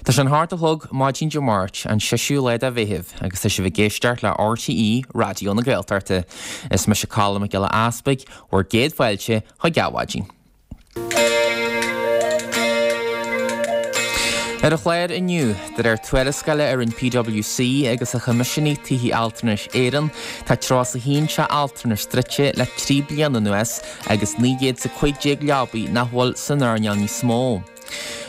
Tá sé an hocht a chlog maidin Dé Máirt, an seisiú lá de Mheitheamh, agus tá sibh ag éisteacht le RTÉ Raidió na Gaeltachta. Is mise Colm Mac Giolla Easpaig, bhur gcéad fáilte chuig Adhmhaidin. Ar an chlár inniu, de réir tuarascála a rinne PwC agus a choimisiúnaigh Tithe Altranais Éireann, tá 31 teach altranais druidte le 3 bliana anuas agus 915 leabaidh nach bhfuil san earnáil níos mó.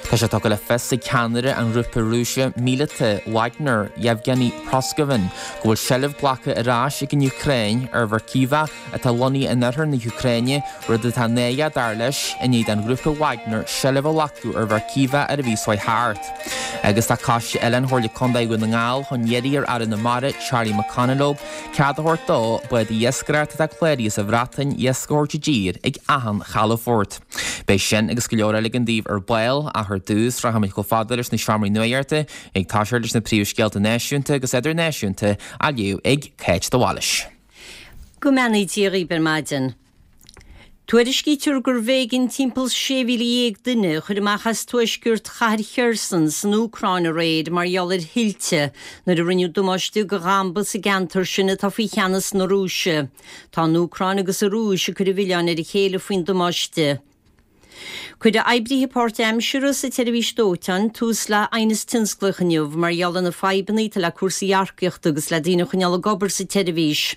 Tá sé tugtha le fios ag ceannaire an ghrúpa Rúisigh míleata Wagner, Yevgeny Prigozhin, go bhfuil seilbh glactha ar ais ag an Úcráin ar Verkhivka atá lonnaithe in oirthear na hÚcráine, rud atá náireach dar leis, i ndiaidh don ghrúpa Wagner seilbh a ghlacadh ar Verkhivka ar an mhí seo thart. Agus tá coiste oileáin Chomhairle Contae Dhún na nGall chun iarraidh ar Aire na Mara, Charlie McConalogue, cead a thabhairt dó bád iascaireachta atá cláraithe sa Bhreatain iasc a thabhairt i dtír ag achan chalafort. Beidh sin agus go leor eile againn daoibh ar ball, ach ar dtús, rachaimid chomh fada leis na seomraí nuachta, ag toiseacht leis na príomhscéalta náisiúnta agus idirnáisiúnta á léamh ag Cáit de Bhailís. Go mbeannaí Dia dhaoibh ar maidin. Tuairiscítear gurbh éigean timpeall 16,000 duine a chur amach as tuaisceart chathair Kherson san Úcráin aréir mar gheall ar thuilte nuair a rinneadh damáiste do dhamba sa gceantar sin atá faoi cheannas na Rúise. Tá an Úcráin agus an Rúis ag cur an mhilleáin ar a chéile faoin damáiste. Cuirfidh oibrithe páirtaimseartha sa tseirbhís dóiteáin tús le haighneas tionsclaíoch inniu mar gheall ar na fadhbanna atá le cúrsaí earcaíochta agus le daoine a choinneáil ag obair sa tseirbhís.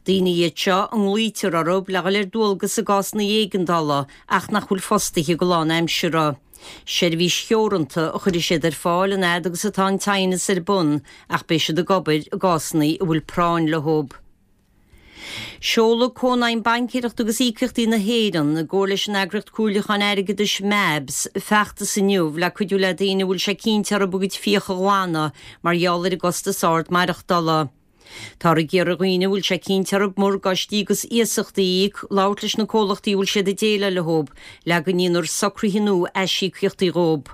Daoine iad seo a nglaoitear orthu le dhul ar dualgas i gcásanna éigeandála ach nach bhfuil fostaithe go lánaimseartha. Seirbhís theoranta a chuirfidh siad ar fáil an fhad agus atá an t-aighneas ar bun ach beidh siad ag obair i gcásanna a bhfuil práinn leo. Seolfaidh Cónaidhm Baincéireachta agus Íocaíochtaí na hÉireann, i gcomhar leis an eagraíocht comhairliúcháin airgeadais MABS, feachtas inniu le cuidiú le daoine a bhfuil sé cinnte orthu a gcuid fiach a ghlanadh mar gheall ar an gcostas ard maireachtála. Táthar ag iarraidh ar dhaoine a bhfuil sé cinnte orthu morgáistí agus iasachtaí a íoc labhairt leis na comhlachtaí a bhfuil siad ag déileáil leo le go ndéanfar socruithe nua aisíocaíochtaí dhóibh.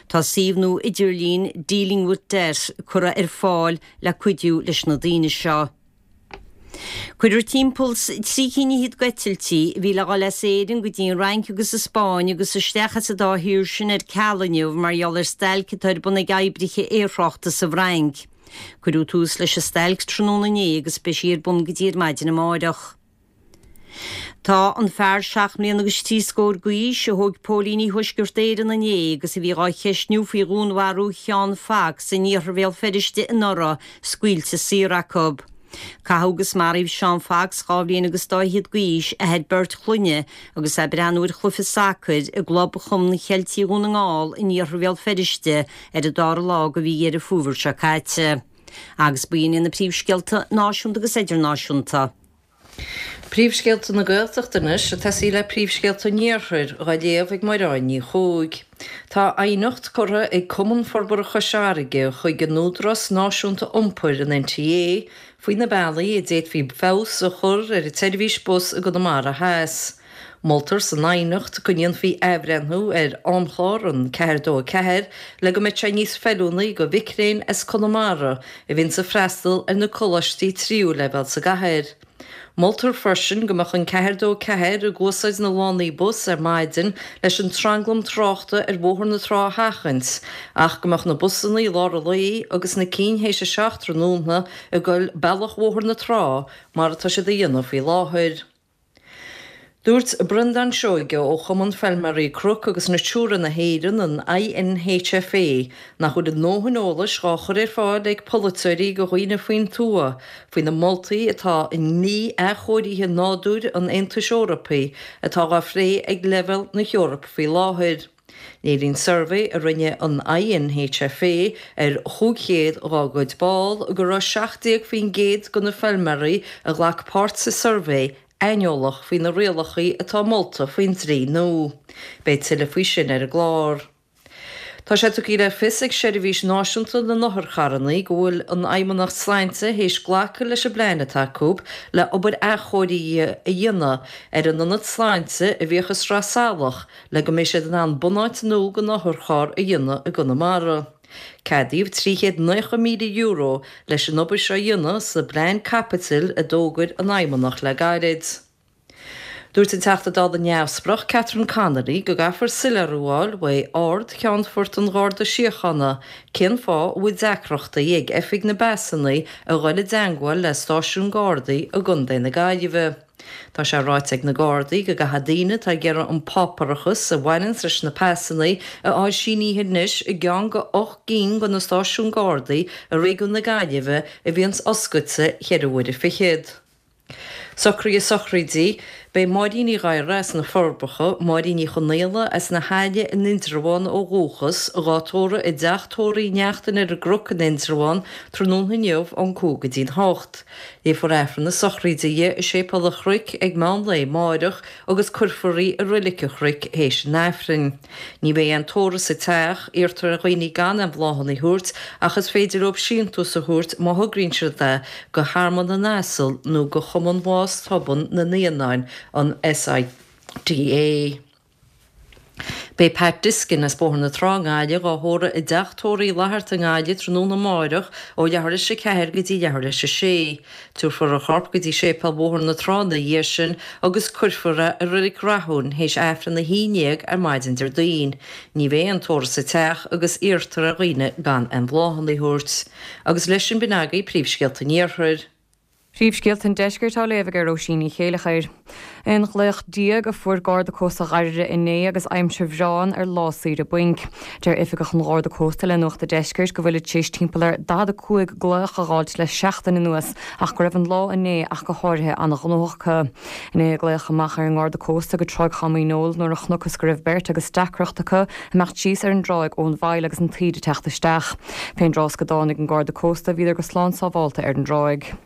Tá suíomh nua idirlín Dealing with Debt curtha ar fáil le cuidiú leis na daoine seo. Cuireadh timpeall 's 3 cinn fhichead d'eitiltí a bhí le dhul as Éirinn go dtí an Fhrainc agus an Spáinn agus isteach as an dá thír sin ar ceal inniu mar gheall ar stailc atá ar bun ag oibrithe aerthráchta sa bhFrainc. Cuireadh tús leis an stailc tráthnóna inné agus beidh sí ar bun go dtí ar maidin amáireach. Tá an fear seacht mbliana agus trí scór d'aois, a thóg póilíní Thuaisceart Éireann inné agus a bhí dhá cheistniú faoi dhúnmharú Sheán Fox in iarthar Bhéal Feirste anuraidh, scaoilte saor acu. Caitheadh agus maraíodh Seán Fox, dhá bhliain agus dá fhichead d'aois, athair beirt chlainne, agus é ag breathnú ar chluiche sacair i gClub Chumann Cheiltigh Dhún na nGall in iarthar Bhéal Feirste ar an dara lá de mhí Dheireadh Fómhair seo caite. Agus b'in iad na príomhscéalta náisiúnta agus idirnáisiúnta. Príomhscéalta na Gaeltachta anois, ag tosaí le príomhscéalta an Iarthair, dhá léamh ag Muireann Ní Chuaig. Tá aighneacht curtha ag Cumann Forbartha Chois Fharraige chuig an Údarás Náisiúnta Iompair, an NTA, faoi na bealaí a d'fhéadfaí feabhas a chur ar an tseirbhís bus i gConamara Theas. Moltar san aighneacht go ndéanfaí athbhreithniú ar amchlár an 4 2 4 le go mbeadh sé níos feiliúnaí do mhic léinn as Conamara a bhíonns ag freastal ar na coláistí tríú leibhéal sa gcathair. Moltar freisin go mbeadh an 4 2 4 ag úsáid na lánaí bus ar maidin leis an tranglam tráchta ar Bhóthar na Trá a sheachaint ach go mbeadh na busanna i lár an lae agus na cinn théis a 7 tráthnóna ag goil bealach Bhóthar na Trá mar atá siad a dhéanamh faoi láthair. Dúirt Breandán Seoige ó Chumann Feilméaraí Cnoc agus Natura na hÉireann, an INHFA, nach bhfuil a ndóthain eolais dhá chur ar fáil ag polaiteoirí go dhaoine faoin tuath faoi na moltaí atá i ndlí athchóirithe nádúir an Aontais Eorpaigh atá dhá phlé ag leibhéal na hEorpa faoi láthair. Léiríonn suirbhé a rinne an INHFA ar 500 dhá gcuid ball go raibh 17% de na feilméaraí a ghlac páirt sa suirbhé aineolach faoi na rialacha atá molta faoin dlí nua. Beidh tuilleadh faoi sin ar an gclár. Tá sé tugtha le fios ag Seirbhís Náisiúnta na nOtharcharranna go bhfuil an Fheidhmeannacht Sláinte théis glacadh leis an bplean atá acu le obair athchóirithe a dhéanamh ar an ionad sláinte a bhíodh i Sraith Salach le go mbeidh siad in ann bunáit nua don otharcharr a dhéanamh i gConamara. Ceadaíodh €390,000 leis an obair seo a dhéanamh sa bplean caipitil a d'fhógair an Fheidhmeannacht le gairid. Dúirt an Teachta Dála Neamhspleách Catherine Connolly go gcaithfear soiléiriú a fháil uaidh Ard-Cheannfort an Gharda Síochána cén fáth a bhfuil deacrachtaí ag Oifig na bPasanna a dhul i dteangmháil le stáisiún Gardaí i gContae na Gaillimhe. Tá sé ráite ag na Gardaí go gcaithfidh daoine atá ag iarraidh an páipéarachas a bhaineanns leis na pasanna a fháil sínithe anois i gceann de 8 gcinn de na stáisiúin Gardaí i réigiún na Gaillimhe a bhíonns oscailte cheithre huaire fichead. Socruithe sochraide, Beidh Máirín Ní Ghadhra as na Forbacha, Máirín Ní Chonaola as na hAille in Indreabhán ó dhúchas, dhá tórramh i dteach tórraimh Uí Neachtain ar an gCnoc in Indreabhán tráthnóna inniu ón 5 go dtí'n 8. Léifear Aifreann na sochraide di i Séipéal an Chnoic ag meán lae amáireach agus cuirfear í i Roilic an Chnoic théis an Aifrinn. Ní bheidh aon tórramh sa teach, iarrtar ar dhaoine gan aon bhláthanna a thabhairt ach is féidir leo síntiús a thabhairt má thograíonn siad é go Thearmann na nAsal nó go Chumann Bhás Thobann na Naíonáin, an SIDA. Beidh Pat Diskin as Bóthar na Trá i nGaillimh dhá thórramh i dTeach Tórraimh Uí Fhlatharta i nGaillimh tráthnóna amáireach ó leathuair leis a ceathair go dtí leathuair leis a sé. Tabharfar a chorp go dtí Séipéal Bhóthar na Trá ina dhiaidh sin agus cuirfear é i Reilig Rathúin théis Aifreann 11 ar maidin Déardaoin. Ní bheidh aon tórramh sa teach agus iarrtar ar dhaoine gan aon bhláthanna a thabhairt. Agus leis sin b'in agaibh príomhscéalta an Iarthair. Príomhscéalta an Deiscirt á léamh ag Róisín Ní Chéileachair. Aon ghlaoch déag a fuair Garda Cósta Dháirire inné agus aimsir bhreá ann ar lá saoire bainc. Deir oifigeach an Gharda Cósta le Nuacht an Deiscirt go bhfuilid tar éis timpeall ar 45 glaoch a dh'fháilt le seachtain anuas ach go raibh an lá inné ach go háirithe an-ghnóthach acu. Inné a glaodh amach ar an nGarda Cósta go Tráigh Chom Uí Néill nuair a chonacthas go raibh beirt agus deacracht acu imeacht síos ar an dtráigh ón bhfaill agus an taoide ag teacht isteach. Fén dtráth is go dtáinig an Garda Cósta bhíodar go slán sábhálta ar an dtráigh.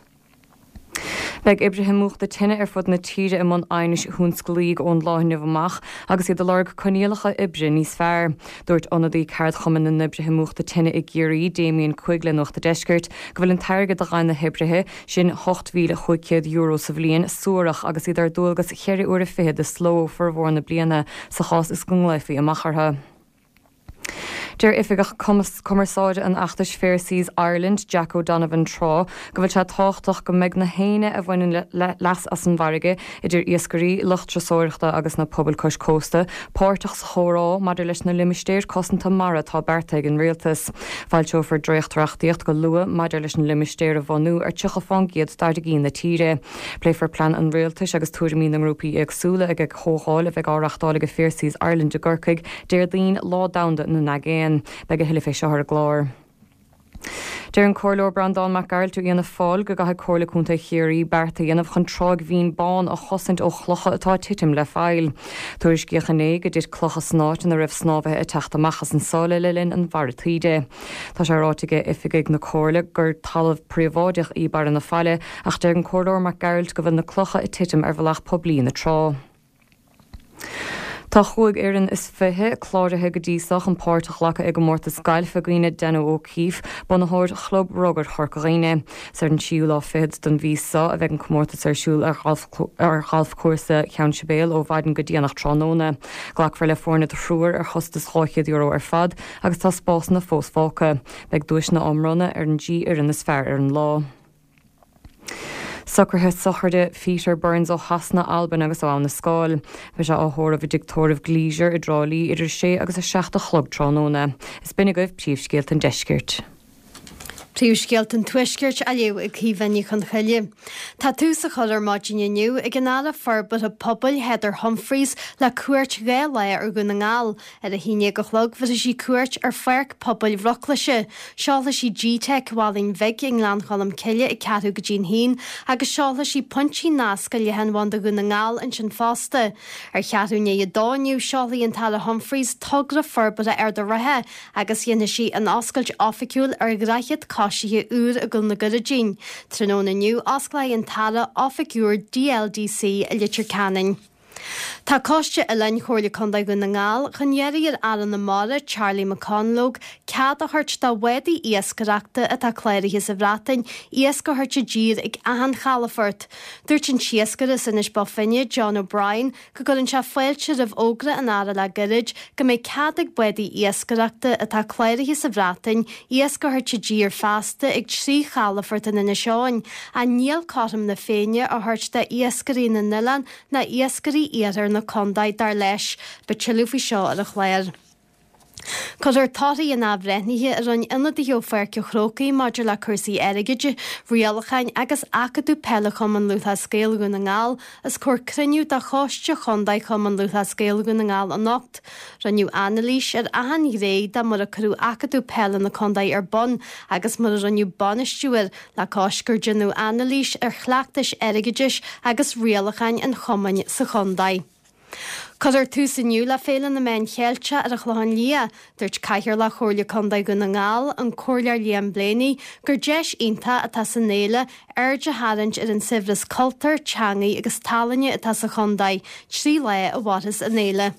Beidh oibrithe múchta tine ar fud na tíre i mbun aighnis thionsclaígh ón lá inniu amach agus iad ag lorg coinníollacha oibre níos fearr. Dúirt ionadaí ceardchumann na n-oibrithe múchta tine i gCiarraí, Damien Quigg le Nuacht an Deiscirt, go bhfuil an t-airgead a fhaigheann na hoibrithe sin, €8,500 sa bhliain, suarach agus iad ar dualgas cheithre uaire fichead de shló formhór na bliana sa chás is go nglaofaí amach orthu. Deir Oifigeach Cumarsáide an fheachtais Fair Seas Ireland, Jack O'Donovan Trá, go bhfuil sé tábhachtach go mbeidh na héinne a bhaineann leas as an bhfarraige, idir iascairí, lucht turasóireachta agus na pobail cois cósta, páirteach sa chomhrá maidir leis na limistéir cosanta mara atá beartaithe ag an Rialtas. Foilseofar dréacht-reachtaíocht go luath maidir leis na limistéir a bhunú ar 30 fán gcéad d'fharraigí na tíre. Pléifear plean an Rialtais agus tuairimí na ngrúpaí éagsúla ag comhdháil a bheidh á reachtáil ag Fair Seas Ireland i gCorcaigh Déardaoin, Lá Domhanda na nAigéan. Beidh a thuilleadh fé seo ar an gclár. Deir an Comhairleoir Breandán Mac Gearailt ó Fhianna Fáil go gcaithfidh Comhairle Contae Chiarraí beart a dhéanamh chun Tráigh Bhinn Bán a chosaint ó chlocha atá ag titim le faill. Tuairiscíodh inné go dtit clocha san áit ina raibh snámhaithe ag teacht amach as an sáile le linn an bharra taoide. Tá sé ráite ag oifigigh na Comhairle gur talamh príobháideach í Barra na Faille ach deir an Comhairleoir Mac Gearailt go bhfuil na clocha ag titim ar bhealach poiblí na trá. Tá chúig fhoireann is fiche cláraithe go dtí so chun páirt a ghlacadh i gcomórtas gailf i gcuimhne Danno O'Keeffe, bunaitheoir Chlub Rugair Chorca Dhuibhne. Is ar an tríú lá fichead den mhí so a bheidh an comórtas ar siúl ar Ghalfchúrsa Cheann Sibéal ó mhaidin go déanach tráthnóna. Glacfar le foirne de thriúr ar chostas €200 ar fad agus tá spásanna fós fágtha. Beidh duaiseanna á mbronnadh ar an dtrí fhoireann is fearr ar an lá. Socruithe sochraide Pheter Burns ó Shasana, Albain agus ó Abha na Scáil. Beidh sé á thórramh i dTigh Tórraimh Gleisure i dTrá Lí idir 6 agus 7 a chlog tráthnóna. Is b'in agaibh príomhscéalta an deiscirt. Príomhscéalta an Tuaiscirt á léamh ag Caoimhe Ní Chonchoille. Tá tús á chur ar maidin inniu ag an Aire Forbartha Pobail Heather Humphreys le cuairt 2 lá ar Dhún na nGall. Ar a haon déag a chlog bhéarfaidh sí cuairt ar Pháirc Pobail Mhuclise. Seolfaidh sí GTeic Mhálainn Bhig i nGleann Cholm Cille ag ceathrú go dtí'n haon agus seolfaidh sí pointí nasctha leathanbhanda Dhún na nGall ansin fosta. Ar cheathrú i ndiaidh a dó inniu seolfaidh an tAire Humphreys togra forbartha Ard an Rátha agus dhéanfaidh sí an oscailt oifigiúil ar dhroichead coisithe úr i gCúil na gCurraidín. Tráthnóna inniu, osclóidh an tAire oifig úr DLDC i Leitir Ceanainn. Tá Coiste Oileáin Chomhairle Contae Dhún na nGall chun iarraidh ar Aire na Mara, Charlie McConalogue, cead a thabhairt do bhádaí iascaireachta atá cláraithe sa Bhreatain iasc a thabhairt i dtír ag achan chalafort. Dúirt an t-iascaire as Inis Bó Finne, John O'Brien, go gcuireann sé fáilte roimh fhógra an Aire le gairid go mbeidh cead ag bádaí iascaireachta atá cláraithe sa Bhreatain iasc a thabhairt i dtír feasta ag 3 chalafort in Inis Eoghain, ach níl cothrom na Féinne á thabhairt d'iascairí na n-oileán ná iascairí iarthar na contae, dar leis. Beidh tuilleadh faoi seo ar an chlár. Cuirfear torthaí an athbhreithnithe a rinne ionadaithe ó Pháirc an Chrócaigh maidir le cúrsaí airgid, rialacháin agus acadamh peile Chumann Lúthchleas Gael Dhún na nGall os comhair cruinniú de Choiste Chontae Chumann Lúthchleas Gael Dhún na nGall anocht. Rinneadh anailís ar achan ghné de mar a cuireadh acadamh peile na contae ar bun agus mar a rinneadh bainistiú air le cois gur déanadh anailís ar chleachtais airgeadais agus rialacháin an chumainn sa chontae. Cuirfear tús inniu le Féile na Meán Cheilteach ar an Chlochán Liath. Dúirt Cathaoirleach Chomhairle Contae Dhún na nGall, an Comhairleoir Liam Blaney, gur deis iontach atá san fhéile aird a tharraingt ar an saibhreas cultúir, teangaí agus tallainne atá sa chontae. 3 lá a mhairfeas an fhéile.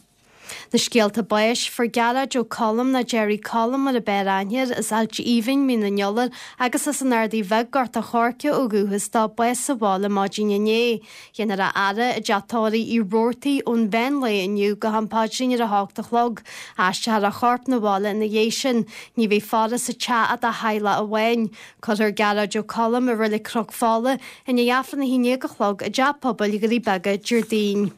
Na scéalta báis, Fuair Gearóid Ó Colm nó Gerry Colm mar a b'fhearr aithne air, as Ailt Aoibhinn, Mín an Iolair agus as an Ardaidh Bheag, Gort a' Choirce ó dhúchas dó, bás sa bhaile maidin inné. Déanfar a fhaire i dteach tórraimh Uí Robhartaigh ón mheán lae inniu go ham paidrín ar a hocht a chlog. Aistreofar a chorp 'na bhaile ina dhiaidh sin. Ní bheidh faire sa teach ach dá theaghlach amháin. Cuirfear Gearóid Ó Colm i Reilig Chnoc Fola i ndiaidh Aifreann a haon déag a chlog i dTeach Pobail Dhoirí Beaga Déardaoin.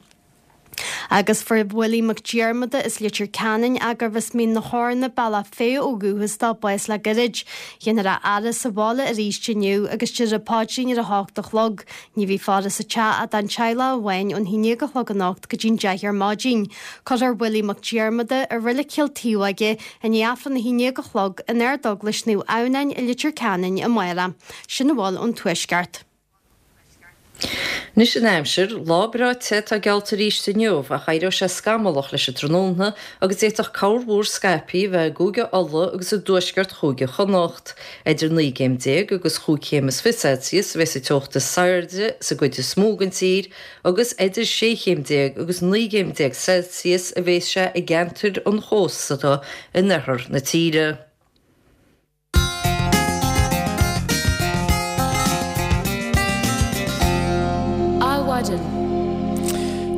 Agus fuair Willie Mac Diarmada as Leitir Ceanainn, gurbh as Mín na hEorna, Bealach Féich ó dhúchas dó, bás le gairid. Déanfar a fhaire sa bhaile arís inniu agus déarfar paidrín ar a hocht a chlog. Ní bheidh faire sa teach ach don teaghlach amháin ón haon déag a chlog anocht go dtí'n 10 ar maidin. Cuirfear Willie Mac Diarmada i Reilig Chill Taobhóige i ndiaidh Aifreann a haon déag a chlog in Ard-Eaglais Naomh Adhamhnáin i Leitir Ceanainn amárach. Sin a bhfuil ón Tuaisceart. Anois an aimsir, lá breá te atá geallta arís inniu ach éireoidh sé scamallach leis an tráthnóna agus d'fhéadfadh corrmhúr scaipthe a bheith i gCúige Uladh agus i dtuaisceart Chúige Chonnacht. Idir 19 gcéim agus chúig chéim is fiche Celsius a bheas an teocht is airde sa gcuid is mó den tír agus idir 16 chéim agus 19 gcéim Celsius a bheas sé i gceantair an chósta in oirthear na tíre. Adhmhaidin.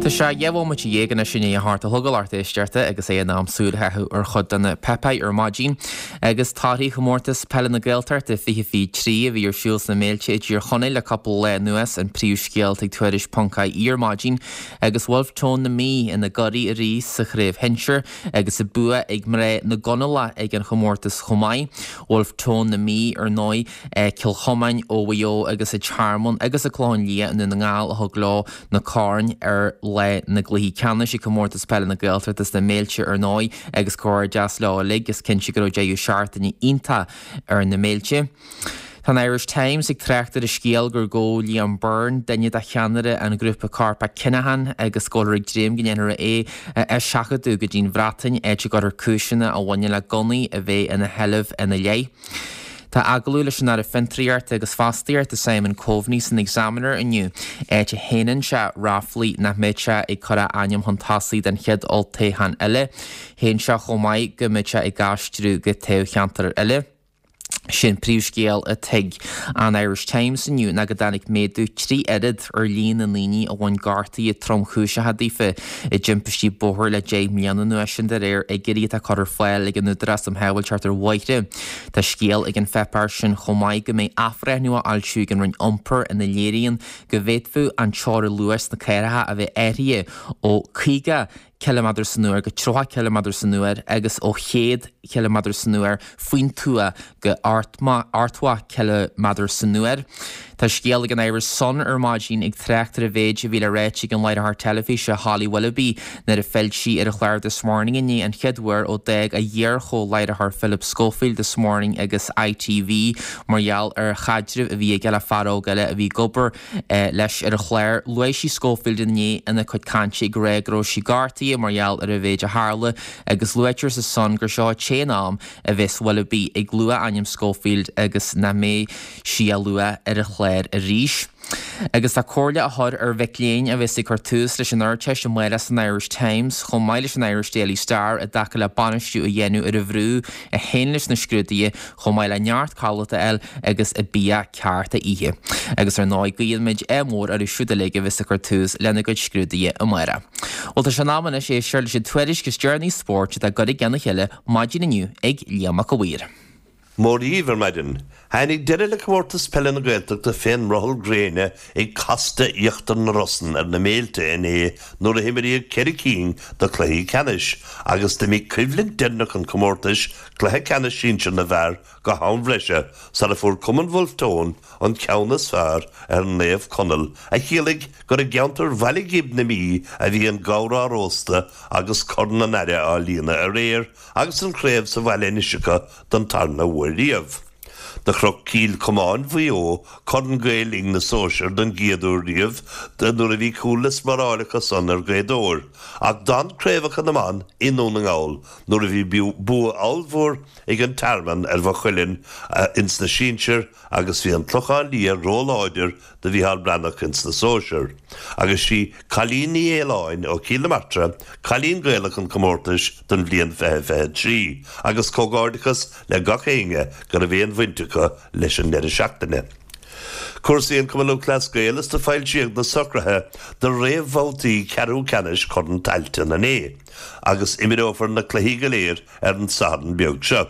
Tá sé 12 bhomaite anois i ndiaidh a hocht a chlog a lucht éisteachta agus é in am súil a chaitheamh ar chuid de na páipéir ar maidin agus torthaí chomórtas peile na Gaeltachta 2023 a bhí ar siúl sna Méilte i dTír Chonaill le cúpla lá anuas an príomhscéal ag Tuairisc ponc ie ar maidin agus Bhulf Tón na Mí ina gcuraidh arís sa chraobh shinsir Agus an bua ag mná na gConallach ag an chomórtas chomh maith. Bhulf Tón na Mí, ar ndóigh, Cill Chomáin ó Mhaigh Eo agus an Tearmann agus an Clochán Liath i nDún na nGall a thug leo na coirn ar lá na gcluichí ceannais ag Comórtas Peile na Gaeltachta sna Méilte ar ndóigh agus comhghairdeas leo uilig. Is cinnte go raibh deireadh seachtaine iontach ar na Méilte. Tá an Irish Times ag trácht ar an scéal gur gabhadh Liam Byrne, duine de cheannaire an ghrúpa coirpeach Kinahan, agus go bhfuiltear ag dréim go ndéanfar é a eiseachadadh go dtí'n Bhreatain, áit a gcuirfear cúiseanna a bhaineann le gunnaí a bheith ina sheilbh ina leith. Tá agallamh leis an Aire Fiontraíochta agus Fostaíochta Simon Coveney san Examiner inniu, áit a shéanann sé ráflaí nach mbeidh sé ag cur a ainm chun tosaigh don chéad olltoghchán eile. Shéan sé chomh maith go mbeidh sé ag aistriú go toghcheantar eile. Sé'n príomhscéal atá ag an Irish Times inniu ná go dtáinig méadú 3 oiread ar líon na ndaoine a bhain gortuithe tromchúiseacha daofa i dtimpistí bóthair le 10 mbliana anuas, sin de réir fhigiúirí atá curtha ar fáil ag an Údarás um Shábháilteacht ar Bhóithre. Tá scéal ag an pháipéar sin chomh maith go mbeidh athbhreithniú á fhoilsiú ag an Roinn Iompair ina léiríonn go bhféadfadh an teorainn luais sna cathracha a bheith athraithe ó 50 ciliméadar san uair go 30 ciliméadar san uair agus ó 100 ciliméadar san uair faoin tuath go 80 ciliméadar san uair. Tá scéal ag an Irish Sun ar maidin ag trácht ar an mhéid a bhí le ráite ag an láithreoir teilifíse Holly Willoughby nuair a phill sí ar an chlár This Morning inné an chéad uair ó d'fhág a hiar-chomh-láithreoir Philip Schofield This Morning agus ITV mar gheall ar chaidreamh a bhí aige le fear óg eile a bhí ag obair leis ar an chlár. Luaigh sí Schofield inné ina cuid cainte ag rá go raibh sí gortaithe mar gheall ar an mhéid a tharla agus luaitear sa Sun gur seo an t-aon am a bheas Willoughby ag lua ainm Schofield agus nach mbeidh sí á lua ar an chlár arís. Agus tá comhairle á chur ar mhic léinn a bheas ag cur tús leis an Ardteist amárach san Irish Times chomh maith leis an Irish Daily Star i dtaca le bainistiú a dhéanamh ar an bhrú a théann leis na scrúduithe chomh maith le neart codlata a fháil agus bia ceart a ithe. Agus ar ndóigh guíonn muid ádh mór orthu siúd uilig a bheas ag cur tús lena gcuid scrúduithe amárach. Bhuel tá sé in am anois éisteacht leis an tuairisc is deireanaí spóirt atá curtha i gceann a chéile maidin inniu ag Liam Mac a' Mhaoir. Mora dhaoibh ar maidin. Tháinig deireadh le Comórtas Peile na Gaeltachta fén mbrothall gréine ag Casta Íochtar na Rosann ar na Méilte inné nuair a himríodh ceithre cinn de chluichí ceannais agus d'imigh coimhlint deireanach an chomórtais, cluiche ceannais sinsir na bhfear, go ham bhreise sara fuair Cumann Bhulf Tón an ceann is fearr ar Naomh Conaill a chiallaigh gur i gceantar Bhaile Ghib na Mí a bhí an gabhar á róstadh agus Corn an Aire á líonadh aréir agus an chraobh sa bhaile anois acu don tarna huair riamh. Do chroch Cill Chomáin Mhaigh Eo Corn Gael Linn na Sóisear don gcéad uair riamh nuair a bhí cúl le spáráil acu san ar Ghaoth Dobhair ach d'fhan craobhacha na mban i nDún na nGall nuair a bhí bua ollmhór ag an Tearmann ar Mhaigh Cuilinn ins na sinsir agus bhí an Clochán Liath róláidir do Mhícheál Breathnach ins na sóisir, agus sí Cailín Ní Fhaoláin ó Chill na Martra cailín Gaelach an chomórtais don bhliain 2023, agus comhghairdeachas le gach éinne go raibh aon bhaint acu leis an ndeireadh seachtaine. Cúrsaí an Chumann Lúthchleas Gael is do foilsíodh na socruithe do réamhbhabhtaí ceathrú ceannais Chorn Tailteann inné, agus imreofar na cluichí go léir ar an Satharn beag seo.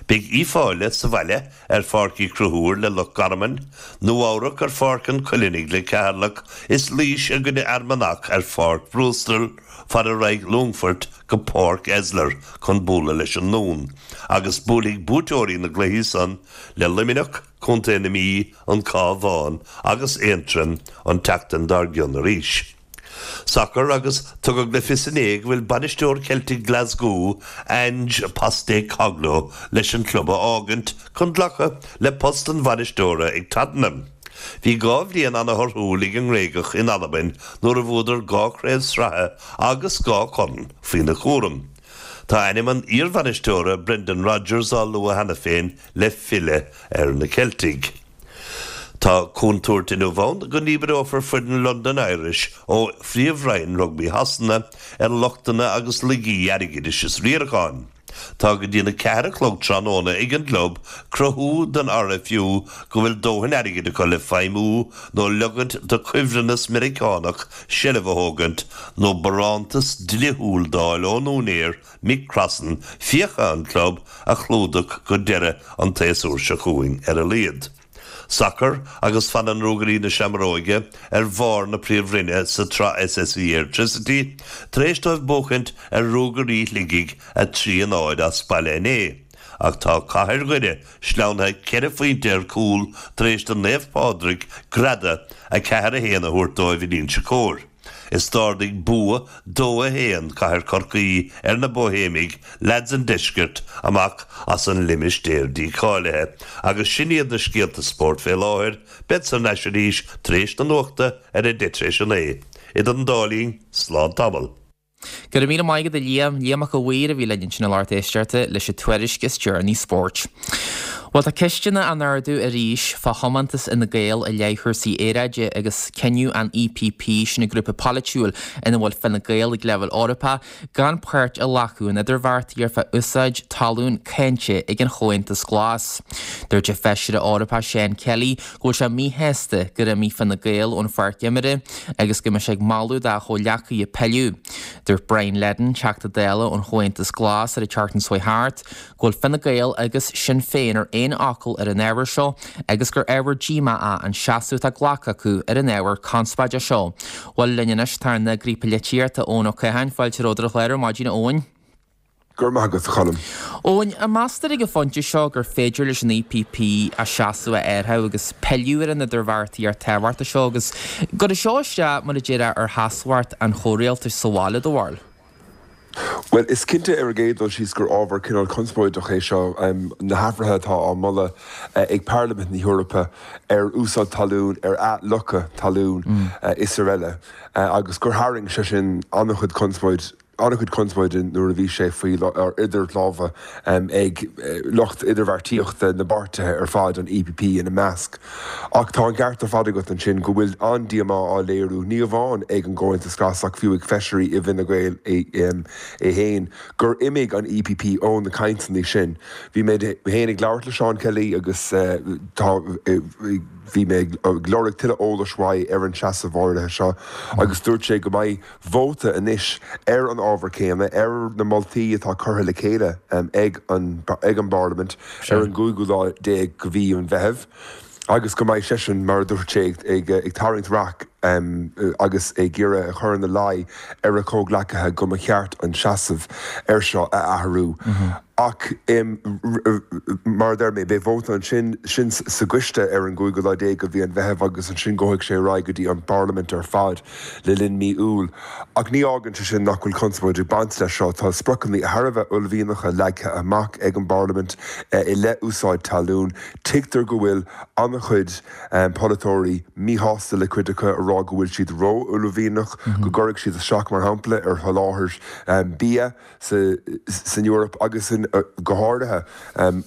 Beidh Uíbh Fhailí sa bhaile ar Pháirc Uí Chonchúir le Loch Garman, Nua-Eabhrac ar Pháirc an Choileánaigh le Ceatharlach is Laois i gcoinne Fhear Manach ar Pháirc Brewster fara raghaidh Longfort go Páirc Esler chun bualadh leis an nDún agus buailfidh buaiteoirí na gcluichí san le Luimneach, Contae na Mí, an Cabhán agus Aontroim an tseachtain dár gcionn arís. Sacar agus tugadh le fios inné go bhfuil bainisteoir Celtic Glasgow, Ange Postecoglou, leis an club a fhágaint chun glacadh le post an bhainisteora ag Tottenham. Bhí dha bhliain ana-thorthúil ag an nGréagach in Albain nuair a bhuadar dhá chraobh sraithe agus dhá chorn faoina chúram. Tá ainm an iarbhainisteora Brendan Rodgers á lua cheana féin le filleadh ar na Ceiltigh. Tá contúirt inniu ann go ndíbreofar foireann London Irish ó Phríomhroinn Rugbaí Shasana ar lochtanna agus laigí airgeadais is riaracháin. Tá go dtí an 4 a chlog tráthnóna ag an gclub cruthú don RFU go bhfuil dóthain airgid acu le feidhmiú nó leogaint do chuibhreannas Meiriceánach seilbh a thógaint nó barántas dlíthiúil d'fháil ón úinéir Mick Crossan fiacha an chlub a chlúdach go deireadh an tséasúir seo chugainn ar a laghad. Sacar agus fanann Ruagairí na Seamróige ar bharr na Príomhroinne sa tSraith SSE Airtricity tar éis dóibh buachaint ar Ruagairí Shligigh 3-0 as baile inné ach tá Cathair Dhoire sleamhnaithe ceithre phointe ar cúl tar éis do Naomh Pádraig greadadh 4-1 a thabhairt dóibh in Inse Chór. Is d'ardaigh bua 2-1 Cathair Chorcaí ar na Bóihéimigh, leaids an deiscirt, amach as an limistéar dícháilithe. Agus sin iad na scéalta spóirt fé láthair. Bead thar n-ais arís tar éis na nuachta ar a deich tar éis a naoi. Idir an dá linn, slán tamall. Go raibh míle maith agat a Liam. Liam Mac a' Mhaoir a bhí linn ansin a lucht éisteachta leis an tuairisc is deireanaí spóirt. Bhuel tá ceisteanna á n-ardú arís fá thiomantas Fhine Gael i leith chúrsaí aeráide agus cinneadh an EPP, sin an grúpa polaitiúil ina bhfuil Fine Gael ag leibhéal Eorpach, gan páirt a ghlacadh in idirbheartaíocht fá úsáid talún cáinte ag an Chomhaontas Glas. Dúirt an Feisire Eorpach Seán Kelly go bhfuil sé míshásta gur imigh Fine Gael ón pháirc imeartha agus go mbeidh sé ag moladh dá chomhghleacaithe pilleadh. Dúirt Brian Leddin, Teachta Dála ón Chomhaontas Glas ar an tseachtain seo chuaigh thart, go bhfuil Fine Gael agus Sinn Féin ar aon fhocal ar an ábhar seo agus gur ábhar díomá é an seasamh atá glactha acu ar an ábhar conspóideach seo. Bhuel, linn anois tá ár n-eagraí polaitíochta, Eoin Ó Catháin. Fáilte romhat ar an chlár ar maidin, a Eoin. Go raibh maith agat, a Choilm. Eoin, an meastar ag an phointe seo gur féidir leis an EPP a seasamh a athrú agus pilleadh ar an idirbheartaíocht tábhachtach seo agus gcuirfidh seo isteach, mar a déarfá, ar sheasmhacht an chomhrialtais sa bhaile, do bharúil? Bhuel, is cinnte ar an gcéad dul síos gur ábhar cineál conspóideach é seo, na hathruithe atá á moladh ag Parlaimint na hEorpa ar úsáid talún, ar athfhliuchadh talún is araile agus gur tharraing sé sin an-chuid conspóid. an-chuid conspóide nuair a bhí sé faoi idir lámha ag lucht idirbheartaíochta na bpáirtithe ar fad, an EPP ina measc. Ach tá an ceart ar fad agat ansin go bhfuil an-díomá á léiriú, ní amháin ag an gComhaontas Glas ach fiú ag feisirí i bhFine Gael é féin, gur imigh an EPP ó na cainteanna sin. Bhí mé féin ag labhairt le Seán Kelly agus tá. Bhí mé ag lorg tuilleadh eolais uaidh ar an seasamh áirithe seo agus dúirt sé go mbeidh vóta anois ar an ábhar céanna, ar na moltaí atá curtha le chéile ag an ag an bParlaimint ar an gcúigiú lá déag de mhí an Mheithimh agus go mbeidh seisean, mar a dúirt sé, ag tarraingt raic agus ag iarraidh a chur ina luí ar a chomhghleacaithe go mba cheart an seasamh air seo a athrú. Ach mar a deir mé, beidh vóta ansin, sin sa gcoiste ar an gcúigiú lá déag de mhí an Mheithimh agus ansin gabhfaidh sé ar aghaidh go dtí an bParlaimint ar fad le linn mí Iúil. Ach ní fhágann sé sin nach bhfuil conspóid ag baint leis seo. Tá spriocanna thar a bheith uaillmhianacha leagtha amach ag an bParlaimint i leith úsáid talún. Tuigtear go bhfuil an-chuid polaiteoirí míshásta le cuid acu, ag rá go bhfuil siad ró-uaillmhianach, go gcuirfidh siad isteach, mar shampla, ar sholáthar bia. san Eoraip agus go háirithe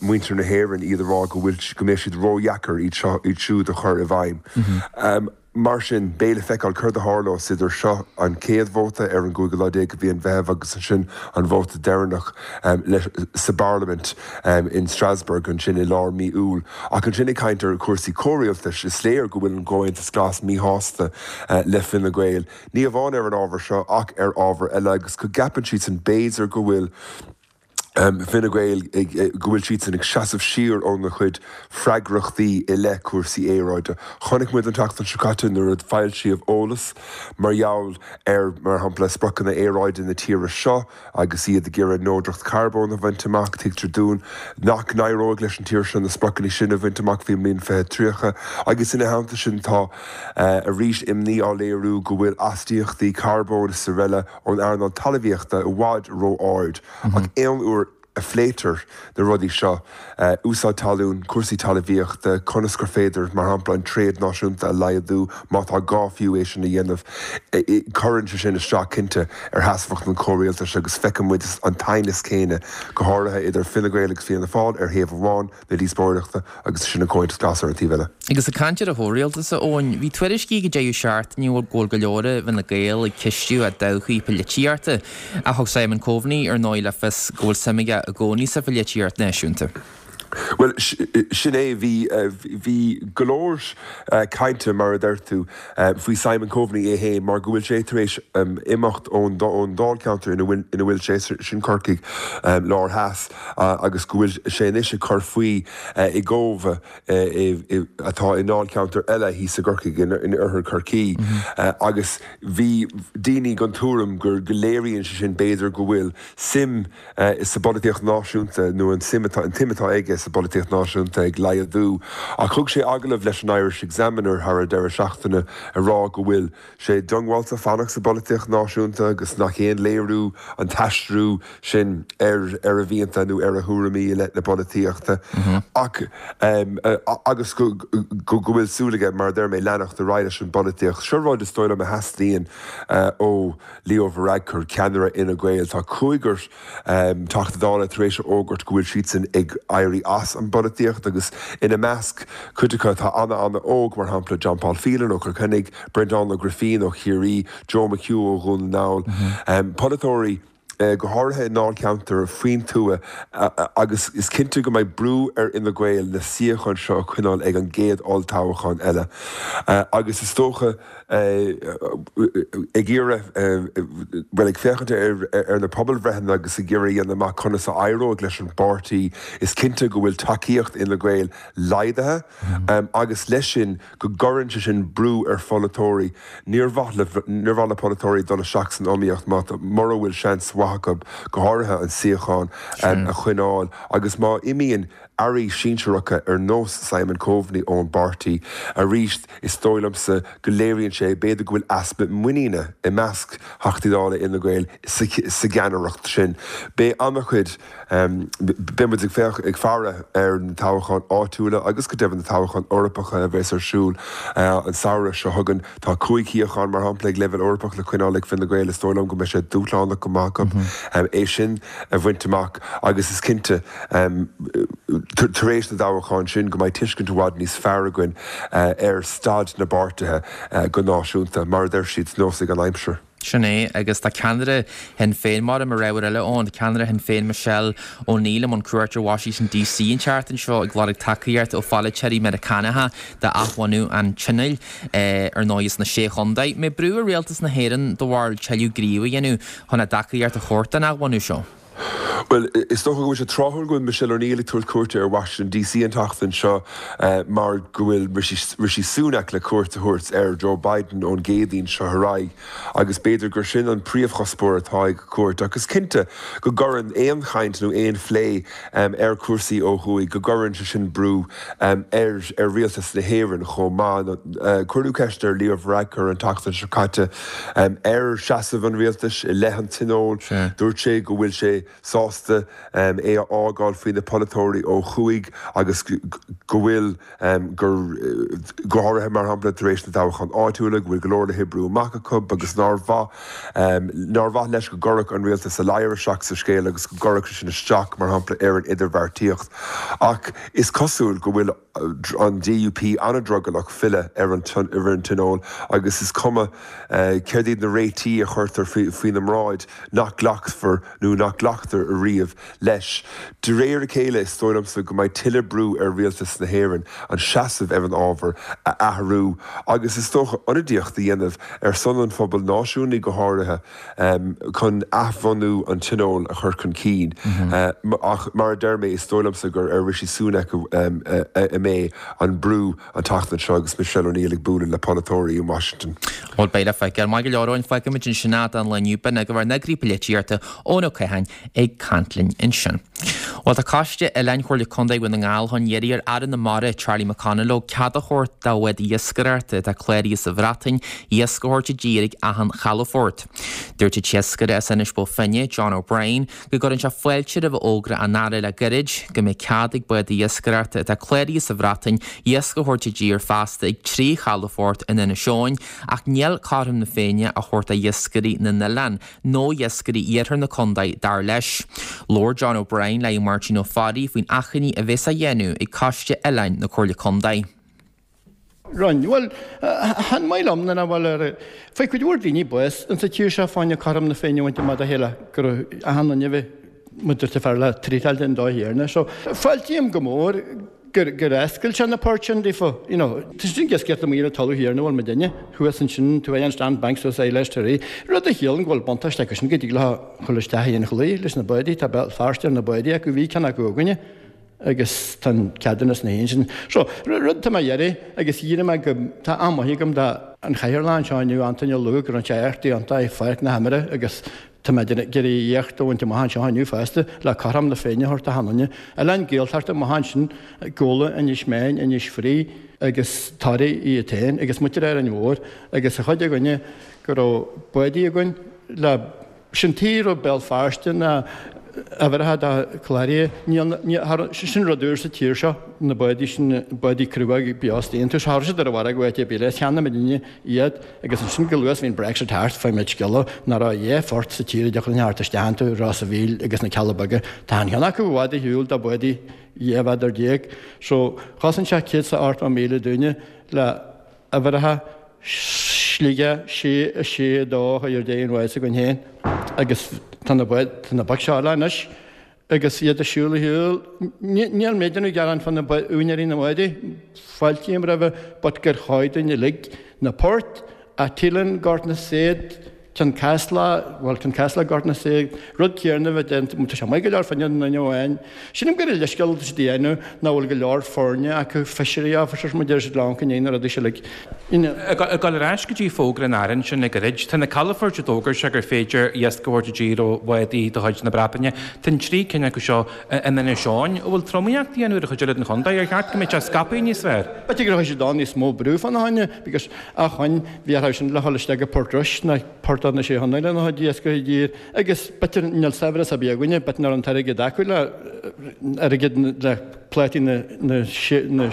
muintir na hÉireann, iad ag rá go bhfuil, go mbeidh siad ródheacair iad seo, iad siúd a chur i bhfeidhm. Mar sin, beidh le feiceáil céard a tharlós idir seo, an chéad vóta ar an gcúigiú lá déag de mhí an Mheithimh agus ansin an vóta deireanach sa bParlaimint in Strasbourg ansin i lár mí Iúil. Ach ansin ag caint ar chúrsaí comhrialtais, is léir go bhfuil an Comhaontas Glas míshásta le Fine Gael. Ní amháin ar an ábhar seo ach ar ábhair eile agus go gceapann siadsan b'fhéidir go bhfuil Fine Gael go bhfuil siadsan ag seasamh siar óna chuid freagrachtaí i leith cúrsaí aeráide. Chonaic muid an tseachtain seo caite nuair a foilsíodh eolas mar gheall ar, mar shampla, spriocanna aeráide na tíre seo, Agus iad ag iarraidh neodracht carbóin a bhaint amach, tuigtear dúinn nach n-éireoidh leis an tír seo na spriocanna sin a bhaint amach faoin mbliain 2030. Agus ina theannta sin tá arís imní á léiriú go bhfuil astaíochtaí carbóin is araile ón earnáil talmhaíochta i bhfad ró-ard. Ach aon uair a phléitear na rudaí seo, úsáid talún, cúrsaí talmhaíochta, conas gur féidir, mar shampla, an tréad náisiúnta a laghdú, má tá gá fiú é sin a dhéanamh, cuireann sé sin isteach, cinnte, ar sheasmhacht an chomhrialtais agus feiceann muid an t-aighneas céanna, go háirithe idir Fine Gael agus Fianna Fáil ar thaobh amháin na díospóireachta agus ansin an Comhaontas Glas ar an taobh eile. Agus ag caint ar an chomhrialtas, a Eoin, bhí tuairiscí ag an deireadh seachtaine go bhfuil go leor i bhFine Gael ag ceistiú a dtodhchaí polaitíochta. Ach thug Simon Coveney ar ndóigh le fios go bhfuil suim aige i gcónaí sa pholaitíocht náisiúnta. Bhuel, sin é. Bhí, bhí go leor cainte, mar a deir tú, faoi Simon Coveney é féin mar go bhfuil sé tar éis imeacht ón dáilcheantar ina bhfuil, ina bhfuil sé, sin Corcaigh Láir Theas, agus go bhfuil sé anois ag cur faoi i gCóbh atá i ndáilcheantar eile thíos i gCorcaigh, in oirthear Chorcaí. Agus bhí daoine den tuairim go léiríonn sé sin b'fhéidir go bhfuil suim sa bpolaitíocht náisiúnta nó an suim atá, an tsuim atá aige sa bpolaitíocht náisiúnta ag laghdú. Ach thug sé agallamh leis an Irish Examiner thar an deireadh seachtaine ag rá go bhfuil sé diongbháilte fanacht sa bpolaitíocht náisiúnta agus nach aon léiriú an t-aistriú sin ar ar a mhianta nó ar a thuairimí i leith na polaitíochta ach agus go go bhfuil súil aige, mar a deir mé, leanacht ar aghaidh leis an bpolaitíocht. Seo rud is dóigh liom a theastaíonn ó Leo Varadkar, ceannaire Fhine Gael. Tá cúigear Teachta Dála tar éis a fhógairt go bhfuil siadsan ag éirí as an bpolaitíocht agus ina measc cuid acu atá ana-ana-óg, mar shampla John Paul Phelan ó Chill Chainnigh, Breandán Ó Grifín ó Chiarraí, Joe McHugh ó Dhún na nGall. Polaiteoirí go háirithe i ndáilcheantair faoin tuath agus is cinnte go mbeidh brú ar Fhine Gael na suíocháin seo a choinneáil ag an gcéad olltoghchán eile agus is dócha ag iarraidh, bhuel, ag féachaint ar na pobalbhreitheanna agus ag iarraidh a dhéanamh amach conas a éireoidh leis an bpáirtí, is cinnte go bhfuil tacaíocht Fhine Gael laghdaithe agus leis sin go gcuireann sé sin brú ar pholaiteoirí. Níor mhaith le, níor mhaith le polaiteoirí dul isteach san iomaíocht má, mura bhfuil seans mhaith. maith acu, go háirithe an suíochán a choinneáil agus má imíonn airí sinsearacha ar nós Simon Coveney ón bpáirtí arís, is dóigh liomsa go léiríonn sé b'fhéidir go bhfuil easpa muiníne i measc Theachtaí Dála Fhine Gael sa cheannaireacht sin. Beidh an-chuid, beidh muid ag féach, ag faire ar na toghcháin áitiúla agus go deimhin na toghcháin Eorpacha a bheas ar siúl an samhradh seo chugainn. Tá 5 shuíochán, mar shampla, ag leibhéal Eorpach le coinneáil ag Fine Gael. Is dóigh liom go mbeidh sé dúshlánach go maith acu é sin a bhaint amach agus is cinnte, tar éis na dtoghchán sin, go mbeidh tuiscint i bhfad níos fearr againn ar staid na bpáirtithe go náisiúnta. Mar a deir siad, neosfaidh an aimsir. Sin é, agus tá ceannaire Shinn Féin, mar mar ábhar eile ann, ceannaire Shinn Féin Michelle O'Neill i mbun cuairt ar Washington DC an tseachtain seo ag lorg tacaíocht ó pholaiteoirí Meiriceánacha d'athbhunú an Tionóil, ar ndóigh, sna Sé Chontae. An mbeidh brú ar Rialtas na hÉireann, do bharúil, tuilleadh gníomh a dhéanamh chun a dtacaíocht a thabhairt don athbhunú seo? Bhuel, is dócha go bhfuil sé tráthúil go bhfuil Michelle O'Neill ag tabhairt cuairte ar Washington DC an tseachtain seo mar go bhfuil Rishi Sunak le cuairt a thabhairt ar Joe Biden ón gCéadaoin seo ar aghaidh agus b'fhéidir gur sin an príomhchuspóir atá ag a cuairt. Ach is cinnte go gcuireann aon chaint nó aon phlé ar chúrsaí ó thuaidh, go gcuireann sé sin brú ar rialtas na hÉireann chomh maith. Cuireadh ceist ar Leo Varadkar an tseachtain seo caite Ar sheasamh an rialtais i leith an Tionóil, dúirt sé go bhfuil sé sásta é a fhágáil faoi na polaiteoirí ó thuaidh agus go bhfuil, gur, go háirithe mar shampla tar éis na dtoghchán áitiúla, go bhfuil go leor le hoibriú amach acu agus nár mhaith, nár mhaith leis go gcuirfeadh an rialtas a ladhar isteach sa scéal agus go gcuirfeadh sé sin isteach, mar shampla, ar an idirbheartaíocht. Ach is cosúil go bhfuil. an DUP an-drogallach filleadh ar an Tionól agus is cuma céard iad na réitigh a chuirtear faoina mbráid nach nglacfar nó nach nglactar ariamh leis. De réir a chéile is dóigh liomsa go mbeidh tuilleadh brú ar rialtas na hÉireann an seasamh ar an ábhar a athrú agus is dócha ionadaíocht a dhéanamh ar son an phobail náisiúnaigh go háirithe. chun athbhunú an Tionóil a chur chun cinn. Ach mar a deir mé, is dóigh liomsa gur ar Rishi Sunak a mbeidh an brú an tseachtain seo agus Michelle O'Neill ag bualadh le polaiteoirí in Washington. Bhuel, beidh le feiceáil. Maith go leor, Eoin, fágfaimid ansin é don lá inniu. B'in agaibh ár n-eagraí polaitíochta, Eoin Ó Catháin, ag caint linn ansin. Bhuel, tá Coiste Oileáin Chomhairle Contae Dhún na nGall chun iarraidh ar Aire na Mara, Charlie McConalogue, cead a thabhairt do bhád iascaireachta atá cláraithe sa Bhreatain iasc a thabhairt i dtír ag achan chalafort. Dúirt an t-iascaire as Inis Bó Finne, John O'Brien, go gcuireann sé fáilte roimh fhógra an Aire le gairid go mbeidh cead ag bád iascaireachta atá cláraithe sa Bhreatain iasc a thabhairt i dtír feasta ag 3 chalafort in Inis Eoghain ach níl cothrom na Féinne á thabhairt do iascairí na n-oileán nó iascairí iarthar na condae, dar leis. Labhair John O'Brien le Máirtín Ó Fearraigh faoin achainí a bheas á dhéanamh ag Coiste Oileáin na Comhairle Condae. Roinn. Bhuel, chan maith liom nuair nach bhfuil ar Faigh cuid mhór daoine bás insa tír seo fá choinne cothrom na Féinne a bhaint amach dá chéile go raibh achan duine a bheith muid fearr le tríotáil den dóigh chéanna. So, fáiltím go mór gur gur oscail sé na poirt sin daofa, you know. Tá sin ag iascaireacht amuigh ar an talamh thiar ina bhfuil muidinne, thuas ansin, tú an Strand Bank suas Eilish Toraí, rud a chiallaíonn go bhfuil buntáiste acu sin go dtig leo dhul isteach i an chlaí leis na bádaí, tá Béal Feirste ar na bádaí acu, bhí ceann acu againne agus tá an ceadúnas na héin sin. So, rud atá mé a iarraidh agus iarraidh mé go, tá an-mhaith agam do an chathaoirleach anseo inniu, Antaine Ó Lúg, rinne sé éacht iontach i Pháirc na hImeartha agus Tá mé ag iarraidh éacht a bhaint amach anseo inniu fosta le cothrom na Féinne a thabhairt d'achan duine. Oileáin Gaeltachta amach ansin, Gabhla, Inis Meáin, Inis Fraoigh agus Toraigh iad féin agus muintir Árainn Mhór agus an chuid againne go raibh bádaí againn le sin tuige a raibh Béal Feirste ná uimhreacha de cláraithe. Níl, níl, sin rud úr sa tír seo, na bádaí sin, bádaí crua beo iontu. Cha raibh siad ar an bhfarraige áit ar bith eile. Cheannaigh muidinne iad agus ansin go luath is a bhí an Brexit thart, fuair muid scéala nach raibh a dhath phort sa tír a dtiocfadh linn a theacht isteach iontu, Ros a' Mhíl agus na Cealla Beaga. Tá an cheann acu i bhfad ar shiúl do bhádaí 12 mhéadar. So, chosain sé 180,000 duine le uimhreacha Sligeach 6, 6, 2 a chur ar deireadh an bháid s'againn féin agus tá na báid, tá na boic seo eile anois. Agus iad ag siúl ar shiúl, níl mé ag déanamh gearán fá na úinéirí na mbádaí, fáiltím roimhe but gur chóir dúinn uilig na poirt, a Tíleann, Gort na Said. Cionn Caslach, bhuel Cionn Caslach Gort na Saigh, rud céanna a bheith déanta, tá sé maith go leor fá choinne an duine amháin. Sílim gur leithscéal atá siad a dhéanamh nach bhfuil go leor foirne acu, fishery officers mar deir siad le uncail na rudaí seo uilig. Ag dul ar ais go dtí fógra an Aire ansin le gairid, tá na calafoirt a d'fhógair sé gur féidir iasc a thabhairt i dtír ó bhádaí de chuid na Breataine, tá an trí cinn acu seo in Inis Eoghain. An bhfuil tromaíocht á dhéanamh ar an chuid eile den chontae? Ar cheart go mbeadh sé scaipthe níos fearr? B'fhéidir go raibh siad ann níos mó brú fána choinne because acmhainn, bhí orthu sin le dhul isteach go Port Rois ná Port na Sé Chontae lena chuid iascaigh i dtír agus b'fhéidir níl saibhreas ar bith againne, b'fhéidir nach raibh an t-airgead acu le airgead le plátaí na na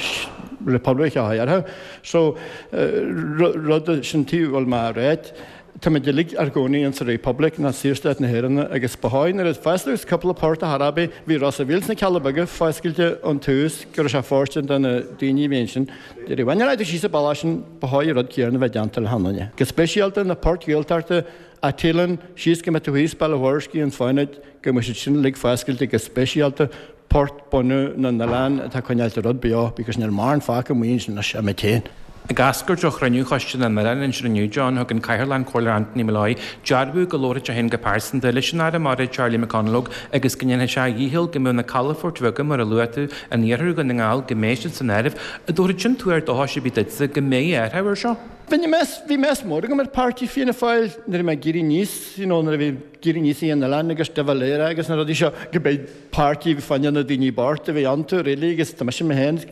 Republic a chur orthu. So rud sin taobh bhfuil mé a ráit, táimid uilig ár gcónaí insa Republic ná Saorstát na hÉireann agus ba chóir nuair a fosclaíodh cúpla port a chor ar bith, bhí Ros a' Mhíl sna Cealla Beaga foscailte ón tús go raibh sé fóirstean do na daoine a bhí ansin. Deireadh bhain an fhadhb síos an bealach sin, ba chóir an rud céanna a bheith déanta le hAnnaine. Go speisialta na poirt Ghaeltachta, An tOileán, síos go mbeadh tú thíos Baile Mhúirc, an Fánaid, go mbeadh siad sin uilig foscailte go speisialta port bunadh na n-oileán atá ag coinneáilt an rud beo because níl mórán fágtha amuigh ansin anois ime féin. Ag eascairt ó chruinniú Choiste na nOileán ansin inniu, John, thug an Cathaoirleach, an Comhairleoir Anthony Molloy, dearbhú go labharfaidh sé féin go pearsanta leis an Aire Mara, Charlie McConalogue, agus go ndéanfaidh sé a dhícheall go mbeadh na calafoirt bheaga, mar a luaigh tú, in iarthar Dhún na nGall, go mbeidh siad san áireamh. An dtabharfadh sin tuar dóchais ar bith duitse go mbeidh athrú air seo? Bhí meas, bhí meas mór agam ar páirtí Fianna Fáil nuair a bhí mé ag éirí aníos, you know, nuair a bhí ag éirí aníos i an oileán agus de Valera agus na rudaí seo, go mbeidh páirtí fá choinne na daoine bocht a bhí iontu really agus tá mise mé féin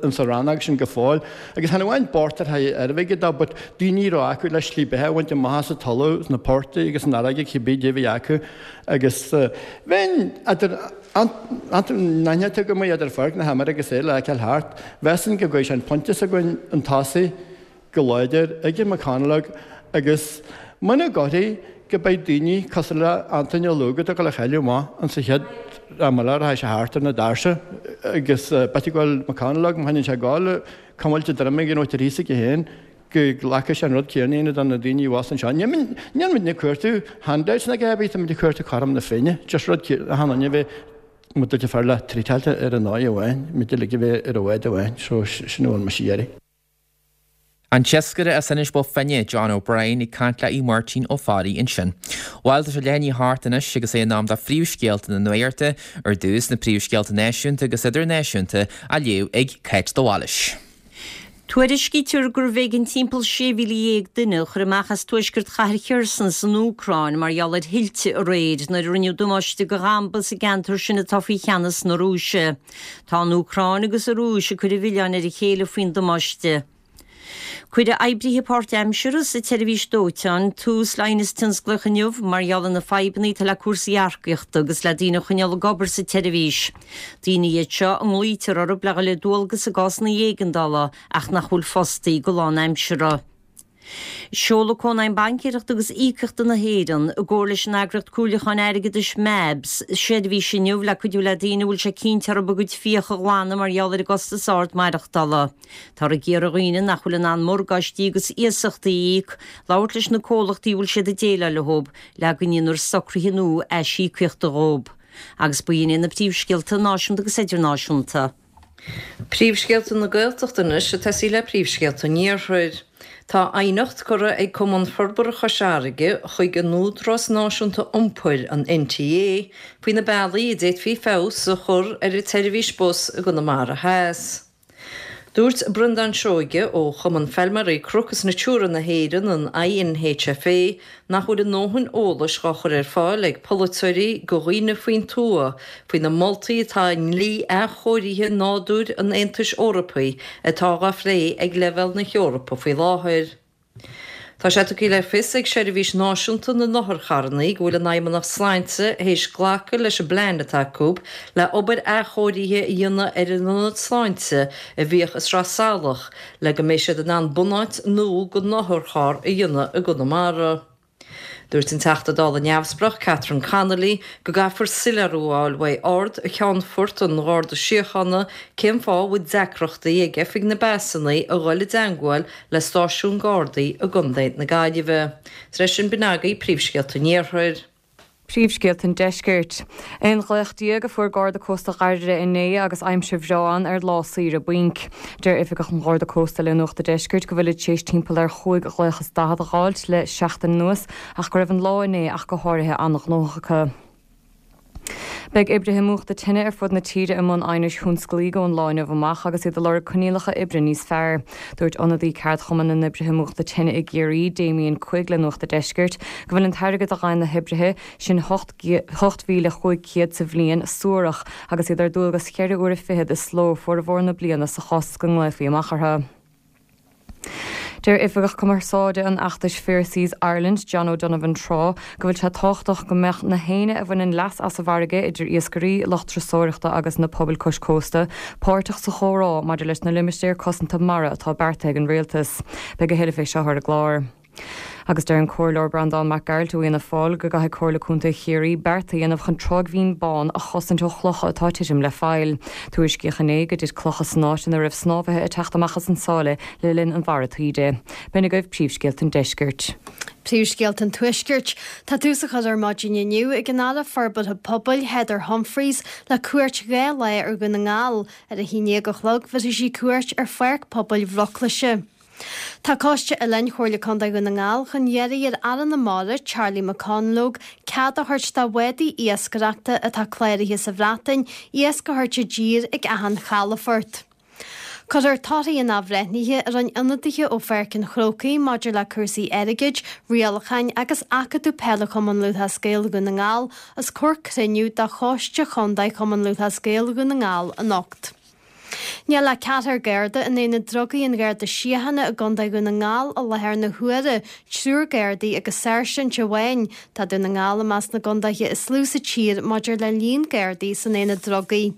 insa rannóg sin go fóill. Agus chan amháin bocht ar haghaidh airgead dó but daoine a raibh acu le slí beatha a bhaint amach as an talamh sna portaigh agus san fharraige cibé dé bhí acu agus bheinn idir an-aithne go mbeidh idir pháirc na himeartha agus é le feiceáil thart. Mheasfainn go gcuirfidh sé an pointe s'againn chun tosaigh go láidir ag McConalogue agus muna gcuirfidh go mbeidh daoine cosúil le Antaine Ó Lúg atá ag dul a chailleadh amach insa chéad am eile a rachaidh sé thart ar na doirse agus b'fhéidir go bhfuil McConalogue má choinníonn sé ag gabháil cuimilt a droim ag an áit ar thíos aige féin go nglacfaidh sé an rud céanna a dhéanamh do na daoine abhus anseo. Níl muid ag cuartú handouts ná a dhath ar bith, tá muid ag cuartú cothrom na Féinne, just rud achan duine a bheith muid uilig fearr le treatáilte ar an ndóigh amháin, muid uilig a bheith ar an bhád amháin, so sin a bhfuil mise ag iarraidh. An t-iascaire as Inis Bó Finne, John O'Brien, ag caint le Aodh Máirtín Ó Fearraigh ansin. Bhuel, tá sé leath i ndiaidh a hocht anois agus é in am do phríomhscéalta na nuachta, ar dtús na príomhscéalta náisiúnta agus idirnáisiúnta á léamh ag Cáit de Bhailís. Tuairiscítear gurbh éigean timpeall 16,000 duine a chur amach as tuaisceart chathair Kherson san Úcráin mar gheall ar thuilte aréir nuair a rinneadh damáiste do dhamba sa gceantar sin atá faoi cheannas na Rúise. Tá an Úcráin agus an Rúis ag cur an mhilleáin ar a chéile faoin damáiste. Cuirfidh oibrithe páirtaimseartha sa tseirbhís dóiteáin tús le aighneas tionsclaíoch inniu mar gheall ar na fadhbanna atá le cúrsaí earcaíochta agus le daoine a choinneáil ag obair sa tseirbhís. Daoine iad seo a nglaoitear orthu le dhul ar dualgas i gcásanna éigeandála ach nach bhfuil fostaí go lánaimseartha. Seolfaidh Cónaidhm Baincéireachta agus Íocaíochta na hÉireann, i gcomhar leis an eagraíocht comhairliúcháin airgeadais MABS, seirbhís inniu le cuidiú le daoine a bhfuil sé cinnte orthu a gcuid fiach a ghlanadh mar gheall ar an gcostas ard maireachtála. Táthar ag iarraidh ar dhaoine nach bhfuil in ann morgáistí agus iasachtaí a íoc, labhairt leis na comhlachtaí a bhfuil siad ag déileáil leo le go ndéanfar socruithe nua aisíocaíochta dhóibh. Agus b'in iad na príomhscéalta náisiúnta agus idirnáisiúnta. Príomhscéalta na Gaeltachta anois ag tosaí le príomhscéalta an Iarthair. Tá aighneacht curtha ag Cumann Forbartha Chois Fharraige chuig an Údarás Náisiúnta Iompair, an NTA, faoi na bealaí a d'fhéadfaí feabhas a chur ar an tseirbhís bus i gConamara Theas. Dúirt Breandán Seoige ó Chumann Feilméaraí Cnoc is Natura na hÉireann, an INHFA, nach bhfuil a ndóthain eolais dhá chur ar fáil ag polaiteoirí go dhaoine faoin tuath faoi na moltaí atá i ndlí athchóirithe nádúir an Aontais Eorpaigh atá dhá phlé ag leibhéal na hEorpa faoi láthair. Tá sé tugtha le fios ag Seirbhís Náisiúnta na nOtharcharranna go bhfuil an Fheidhmeannacht Sláinte théis glacadh leis an bplean atá acu le obair athchóirithe a dhéanamh ar an ionad sláinte a bhíodh i Sraith Salach le go mbeidh siad in ann bunáit nua don otharcharr a dhéanamh i gConamara. Dúirt an Teachta Dála neamhspleách Catherine Connolly go gcaithfear soiléiriú a fháil uaidh Ard-Cheannfort an Gharda Síochána cén fáth a bhfuil deacrachtaí ag Oifig na bPasanna a dhul i dteangmháil le stáisiún Gardaí i gContae na Gaillimhe. Tar éis sin b'in agaibh príomhscéalta an Iarthair. Príomhscéalta an Deiscirt. 11 ghlaoch a fuair Garda Cósta Dháirire inné agus aimsir bhreá ann ar lá saoire bainc. Deir Oifigeach an Gharda Cósta le Nuacht a' Deiscirt go bhfuilid tar éis timpeall ar chúig ghlaoch is daichead a dh'fháilt le seachtain anuas ach go raibh an lá inné ach go háirithe an-ghnóthach acu. Beidh oibrithe múchta tine ar fud na tíre i mbun aighnis thionsclaígh ón lá inniu amach agus iad ag lorg coinníollacha oibre níos fearr. Dúirt ionadaí ceardchumann na n-oibrithe múchta tine i gCiarraí, Damien Quigg le Nuacht a' Deiscirt, go bhfuil an t-airgead a fhaigheann na hoibrithe sin, 8,500 sa bhliain, suarach agus iad ar dualgas cheithre uaire fichead is ló formhór na bliana sa chás is go nglaofaí amach orthu. Deir Oifigeach Cumarsáide an fheachtais Fair Seas Ireland, John O'Donovan Trá, go bhfuil sé tábhachtach go mbeadh na héinne a bhaineann leas as an bhfarraige, idir iascairí, lucht turasóireachta agus na pobail cois cósta, páirteach sa chomhrá maidir leis na limistéir cosanta mara atá beartaithe ag an Rialtas. Beidh a thuilleadh fé seo ar an gclár. Agus deir an Comhairleoir Breandán Mac Gearailt ó Fhianna Fáil go gcaithfidh Comhairle Contae Chiarraí beart a dhéanamh chun Tráigh Bhinn Bán a chosaint ó chlocha atá ag titim le faill. Tuairiscíodh inné go dtit clocha san áit ina raibh snámhaithe ag teacht amach as an sáile le linn an bharra taoide. B'in agaibh príomhscéalta an deiscirt. Príomhscéalta an Tuaiscirt. Tá tús á chur ar maidin inniu ag an Aire Forbartha Pobail, Heather Humphreys, le cuairt 2 lá ar Dhún na nGall. Ar a haon déag a chlog bhéarfaidh sí cuairt ar Pháirc Pobail Bhruclaise. Tá Coiste Oileáin Chomhairle Contae Dhún na nGall chun iarraidh ar Aire na Mara, Charlie McConalogue, cead a thabhairt do bhádaí iascaireachta atá cláraithe sa Bhreatain iasc a thabhairt i dtír ag achan chalafort. Cuirfear torthaí an athbhreithnithe a rinne ionadaithe ó Pháirc an Chrócaigh maidir le cúrsaí airgid, rialacháin agus Acadamh Peile Chumann Lúthchleas Gael Dhún na nGall os comhair cruinniú de Choiste Chontae Chumann Lúthchleas Gael Dhún na nGall anocht. Níl ach ceathrar Garda in Aonad Drugaí an Gharda Síochána i gContae Dhún na nGall i láthair na huaire, triúr Gardaí agus sáirsint amháin. Tá Dún na nGall i measc na gcontaetha is lú sa tír maidir le líon Gardaí san Aonad Drugaí.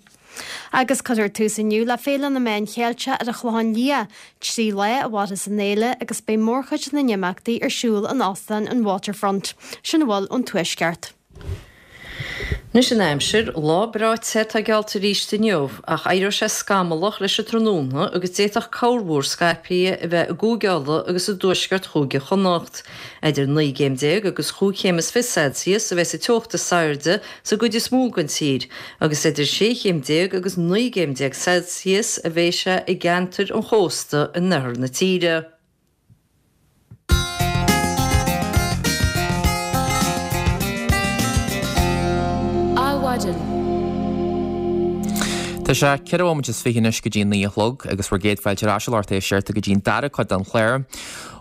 Agus cuirfear tús inniu le Féile na Meán Cheilteach ar an Chlochán Liath. Trí lá a mhairfeas an fhéile agus beidh mórchuid na n-imeachtaí ar siúl in Óstán an Waterfront. Sin a bhfuil ón Tuaisceart. Anois an aimsir, lá breá te atá geallta arís inniu, ach éireoidh sé scamallach leis an tráthnóna agus d'fhéadfadh corrmhúr scaipthe a bheith i gCúige Uladh agus i dtuaisceart Chúige Chonnacht. Idir 19 gcéim agus chúig chéim is fiche Celsius a bheas an teocht is airde sa gcuid is mó den tír agus idir 16 chéim agus 19 gcéim Celsius a bheidh sé i gceantair an chósta in oirthear na tíre. Adhmhaidin. Tá sé ceithre bhomaite is fiche anois go dtí a naoi a chlog agus bhur gcéad fáilte ar ais a lucht éisteachta go dtí an dara cuid den chlár.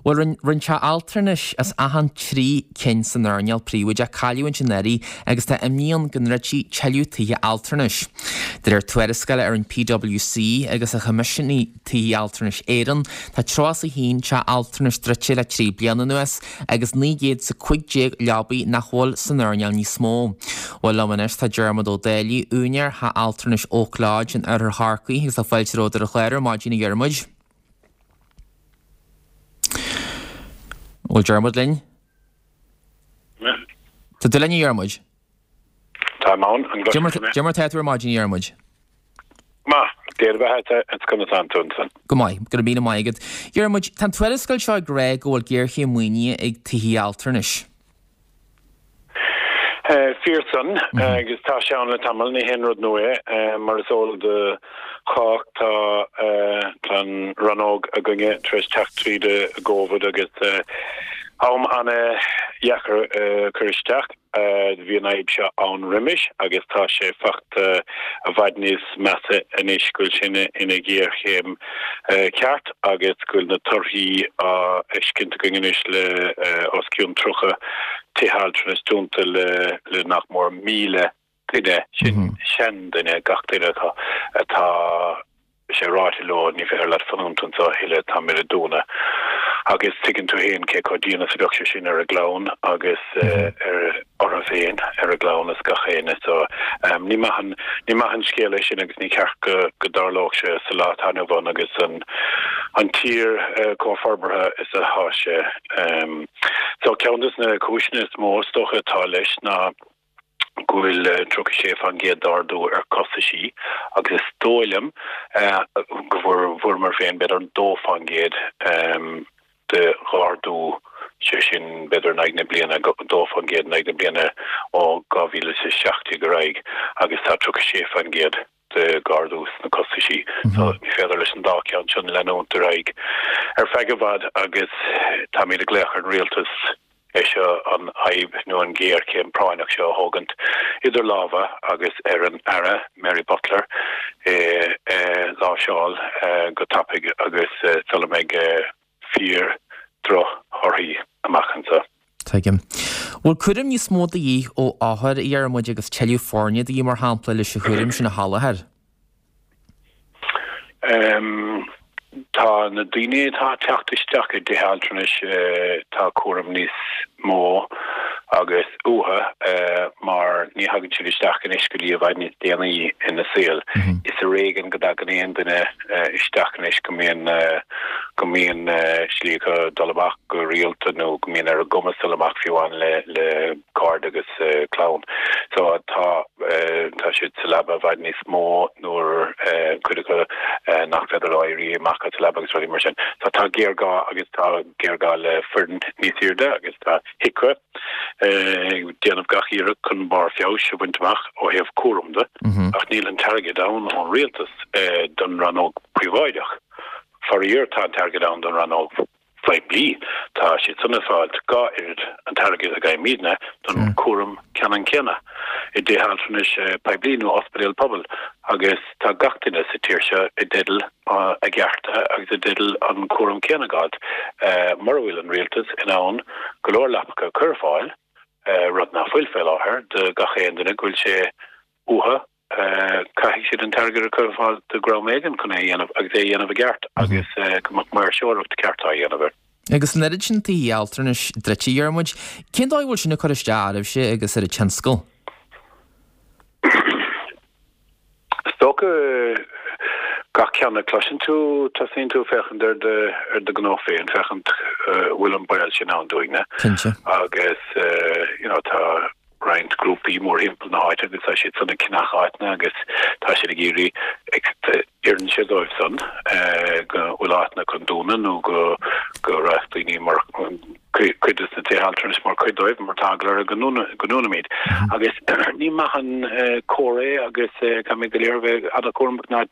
Bhuel, rinne, rinne teach altranais as achan trí cinn san earnáil príobháideach cailliúint anuraidh agus tá imní ann go ndruidfí tuilleadh tithe altranais. De réir tuarascála a rinne PwC agus a choimisiúnaigh Tithe Altranais Éireann. Tá 31 teach altranais druidte le 3 bliana anuas agus 915 leabaidh nach bhfuil san earnáil níos mó. Bhuel liom anois tá Diarmuid Ó Dálaigh, úinéir Theach Altranais Oak Lodge in oirthear Chorcaí agus tá fáilte romhat ar an chlár ar maidin a Dhiarmuid. Bhfuil Diarmuid linn? Tá tú linn a Dhiarmuid? Táim ann, an gcloiseann tú mé? Cad é mar tá tú ar maidin, a Dhiarmuid? Maith, Dia do bheatha is conas tánn tú ansan? Go maith, go raibh míle maith agat. Dhiarmuid, tá an tuarascáil seo ag rá go bhfuil géarchéim maoinithe ag tithe altranais. Fíor san, agus tá sé ann le tamall, ní haon rud nua é. Mar is eol do chách tá an rannóg againne tar éis teacht tríd an gCovid agus am ana-dheacair a chur isteach. Bhí an fhadhb seo ann roimis agus tá sé fachta i bhfad níos measa anois go bhfuil sé ina ghéarchéim cheart agus go bhfuil na torthaí á fheiscint againn anois le os cionn 30 tithe altranais dúnta le nach mór 1,000 duine, sin seanduine, gach duine atá, atá sé ráite leo, ní féidir leat fanúint anseo a thuilleadh, táimid ag dúnadh. Agus tuigeann tú féin cé chomh dian is a bheadh sé sin ar a gclann agus ar orthu féin, ar a gclann is gach éinne. So ní maith an, ní maith an scéal é sin agus ní ceart go, go dtarlódh sé sa lá atá inniu ann agus an, an tír chomh forbartha is atá sé. So ceann de na cúiseanna is mó is dócha atá leis ná, go bhfuil 36% d'ardú ar costaisí agus is dóigh liom go bhfuair, bhfuaireamar féin b'fhéidir 2% de dh'ardú. Sé sin, b'fhéidir in aghaidh na bliana, 2% in aghaidh na bliana ó 2017 ar aghaidh agus tá 36% de dh'ardú sna costaisí. So ní féidir leis an dá cheann sin leanúint ar aghaidh ar feadh i bhfad agus táimid ag glaoch ar an Rialtas é seo, an fhadhb nó an ghéarchéim práinneach seo a thógaint idir lámha agus ar an Aire Mary Butler é a láimhseáil go tapaidh agus sula mbeidh fíor drochthorthaí amach anseo. Tuigim. Bhfuil cúram níos mó de dhíth ó othair, a Dhiarmuid, agus tuilleadh foirne de dhíth, mar shampla, leis an chúram sin a sholáthar? Tá na daoine atá ag teacht isteach i dtithe altranais, tá cúram níos mó agus uathu mar ní thagann siad isteach anois go dtí i bhfad níos déanaí ina saol. Is ar éigean go dtagann aon duine isteach anois go mbíonn go mbíonn slí acu dul amach go rialta nó go mbíonn ar a gcumas dul amach fiú amháin le le cairde agus clann. So tá tá siad sa leaba i bhfad níos mó nuair cuid acu nach féidir leo éirí amach as an leaba agus rudaí mar sin. So tá géarghá agus tá géarghá le foireann níos airde agus tá HIQA ag déanamh gach iarracht chun barr feabhais a bhaint amach ó thaobh cúram de, ach níl an t-airgead ann ón rialtas don rannóg príobháideach. Faraor, tá an t-airgead ann don rannóg phoiblí. Tá siad san ag fáilt dhá oiread an t-airgead a gheibhimidne don chúram ceannann céanna i dtithe altranais poiblí nó ospidéal pobail agus tá gach duine sa tír seo i dteideal a gcearta agus i dteideal an cúram céanna a dh'fháilt. Mura bhfuil an rialtas in ann go leor leapacha a chur ar fáil, rud nach bhfuil fé láthair, do gach aon duine go bhfuil sé uathu, caithfidh siad an t-airgead a chur ar fáil de dhroim éigin chun é a dhéanamh agus é a dhéanamh i gceart agus go mbeadh maoirseoireacht ceart á dhéanamh air. Agus an oiread sin tithe altranais druidte, a Dhiarmuid, cén dóigh a bhfuil sin ag cur isteach oraibhse agus ar an tionscal? Is dócha gach ceann a chloiseann tú, tosaíonn tú ag féachaint ar do ar do ghnó féin, féachaint bhfuil an baol sin ann dúinne. Cinnte. Agus you know tá roinnt grúpaí mórthimpeall na háite agus tá siad san ag ceannach áiteanna agus tá siad ag iarraidh ag oireann sé dóibh san go bhfuil áiteanna chun dúnadh nó go go raibh daoine mar cuid de na tithe altranais mar chuid dóibh mar tá eagla orthu go ndúnfaimid. Agus ní maith an comhartha é agus caithfimid go léir a bheith an-chúramach ná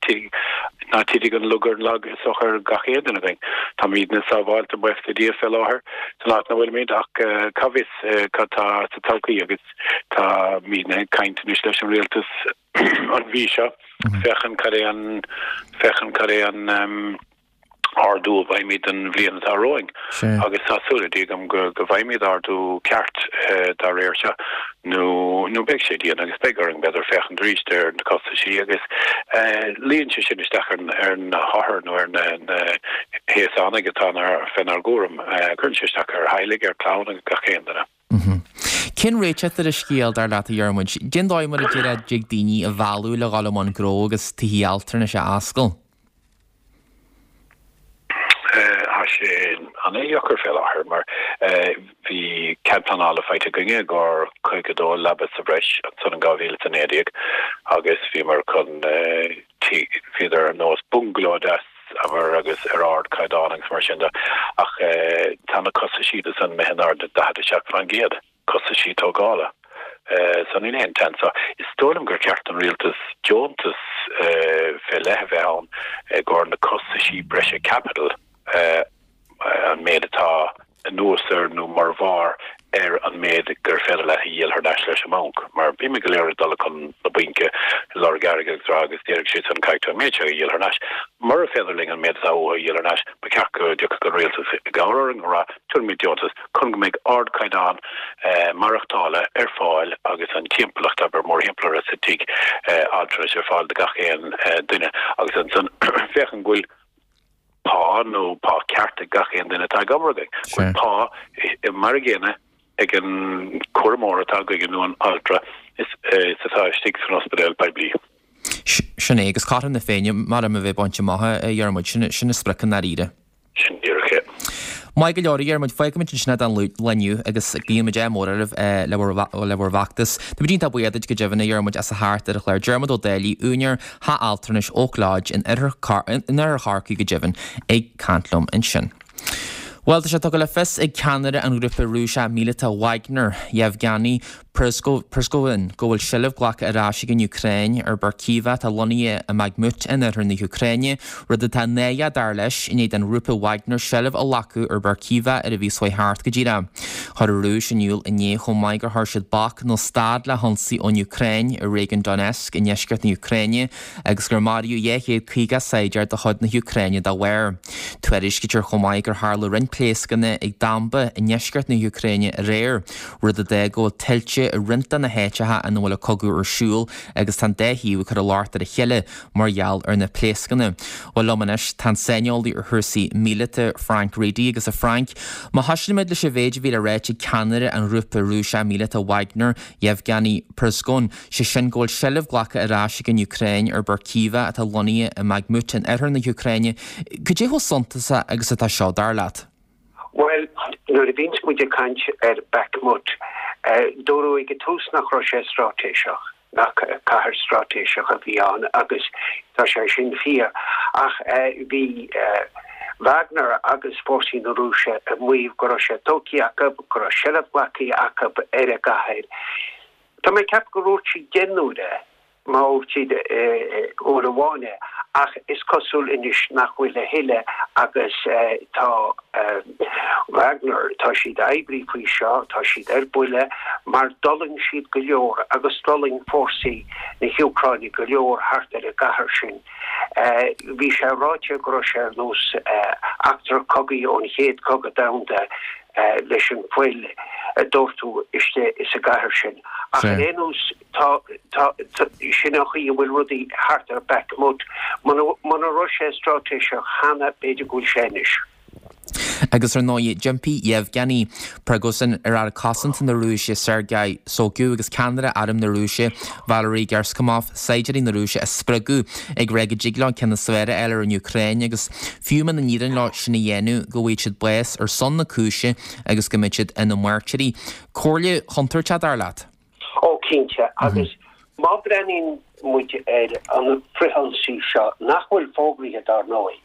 ná titfidh an lug ar an lag is dócha ar gach aon duine againn. Táimidne sábháilte buíochas le Dia fé láthair san áit ina bhfuilimid ach cá bhfios cad tá sa todhchaí agus táimidne ag caint anois leis an rialtas an mhí seo féachaint cad é an féachaint cad é an ardú a bhfaighimid don bhliain atá romhainn agus tá súil le Dia agam go go bhfaighimid ardú ceart dá réir seo nó nó beidh sé dian agus beidh orainn b'fhéidir féachaint arís ar na costaisí agus luíonn sé sin isteach ar ar na hothair nó ar na na haosánaigh atá fénár gcúram. Cuireann sé isteach ar theaghlaigh, ar chlann agus gach aon duine. Cén réiteach ar an scéal, dar leat, a Dhiarmuid? Cén dóigh mar a déarfá a dtig daoine a mhealladh le dhul i mbun gnó agus tithe altranais a oscailt? Tá sé an-deacair fé láthair mar bhí cead pleanála faighte againne i gcomhair 52 leaba sa bhreis ansan in 2019 agus bhíomar chun bhíodar ar nós bungaló deas abair agus ar ardchaighdeán agus mar sin de ach tá na costaisí de san imithe in airde 47%. costaisí tógála. So níl aon tseans. So is dóigh liom gur cheart don rialtas deontas fé leith a bheith ann i gcomhair na costaisí breise caipitil, an méid atá anuas ar nó mar bharr ar an méid gur féidir leat a dhíol thar n-ais leis an mbanc. Mar bímid go léir ag dul chun na baince ag lorg airgid agus rá agus déarfaidh siad san caithfidh tú an méid seo a dhíol thar n-ais. Mura féidir linn an méid atá uathu a dhíol thar n-ais, ba cheart go dtiocfadh an rialtas i gcabhair orainn a rá tabharfaimid deontas chun go mbeidh ardchaighdeán maireachtála ar fáil agus an timpeallacht abair mórthimpeall orthu sa tigh altranais ar fáil do gach aon duine agus ansan féachaint go bhfuil pá nó pá ceart ag gach aon duine atá ag obair againn, go bhfuil pá mar a gcéanna ag an cúramóir atá againn nó an altra is atá istigh san ospidéal poiblí. Sin é, agus cothrom na Féinne, mar a bheith bainte amach, a Dhiarmuid, sin an sprioc i ndáiríre. Sin díreach é. Maith go leor, a Dhiarmuid, fágfaimid ansin é don lá inniu agus guímid ádh mór oraibh le bhur bhfeachtas. Táimid iontach buíoch duit go deimhin, a Dhiarmuid, as a theacht ar an chlár. Diarmuid Ó Dálaigh, úinéir Theach Altranais Oak Lodge in oirthear Chorcaí go deimhin, ag caint liom ansin. Bhuel, tá sé tugtha le fios ag ceannaire an ghrúpa Rúiseach míleata Wagner, Yevgeny Prigozhin, go bhfuil seilbh glactha ar ais ag an Úcráin ar Berkivka atá lonnaithe i mBakhmut in oirthear na hÚcráine, rud atá náireach dar leis, i ndiaidh don ghrúpa Wagner seilbh a ghlacadh ar Berkivka ar an mhí seo chuaigh thart go díreach. Chuir an Rúis in iúl inné chomh maith gur chuir siad bac nó stad le hionsaí ón Úcráin i réigiún Donetsk i ndeisceart na hÚcráine, agus gur maraíodh 250 saighdiúir de chuid na hÚcráine dá bharr. Tuairiscítear chomh maith gur tharla roinnt pléascanna ag damba i ndeisceart na hÚcráine aréir, rud a d'fhág go bhfuil tuilte i roinnt de na háiteacha ina bhfuil an cogadh ar siúl agus tá an dá thaobh ag cur an locht ar a chéile mar gheall ar na pléascanna. Bhuel, liom anois tá an saineolaí ar chúrsaí míleata, Frank Reidy, agus a Frank, má thosaímid leis an mhéid a bhí le ráit ag ceannaire an ghrúpa Rúiseach míleata Wagner, Yevgeny Prigozhin, sé sin go bhfuil seilbh glactha ar ais ag an Úcráin ar Berkivka atá lonnaithe i mBakhmut in oirthear na hÚcráine. Cad é chomh suntasach agus atá seo, dar leat? Bhuel, nuair a bhíonns muid ag caint ar Bakhmut, dúradh ag an tús nach raibh sé straitéiseach, nach cathair straitéiseach a bhí ann agus tá sé sin fíor. Ach bhí Wagner agus fórsaí na Rúise ag maíomh go raibh sé tógtha acu, go raibh seilbh glactha acu ar an gcathair. Tá mé ag ceapadh gur dhúirt siad 10 n-uaire é, má dhúirt siad uair amháin é, ach is cosúil anois nach bhfuil a thuilleadh agus tá Wagner, tá siad oibrithe faoi seo, tá siad ar buile mar d'fhulaing siad go leor agus d'fhulaing fórsaí na hÚcráine go leor thart ar an gcathair sin. Bhí sé ráite go raibh sé ar nós eachtra cogaidh ón Chéad Chogadh Domhanda leis an fuil a doirteadh istigh sa gcathair sin. Ach ar aon nós, tá, tá, sin an chaoi a bhfuil rudaí thart ar Bakhmut. Muna raibh sé straitéiseach cheana, b'fhéidir go bhfuil sé anois. Agus ar ndóigh, d'impigh Yevgeny Prigozhin ar Aire Cosanta na Rúise Sergei Shoigu agus ceannaire Arm na Rúise Valery Gerasimov saighdiúirí na Rúise a spreagadh ag rá go dtig leo ceann is fearr a fháil ar an Úcráin agus fiú muna n-éiríonn leo sin a dhéanamh go bhfaighidh siad bás ar son na cúise agus go mbeidh siad ina mairtírí. Comhairle chontúirteach, dar leat? Ó, cinnte. Agus má bhreathnaíonn muid ar an frithionsaí seo, nach bhfuil fógraithe dar ndóigh,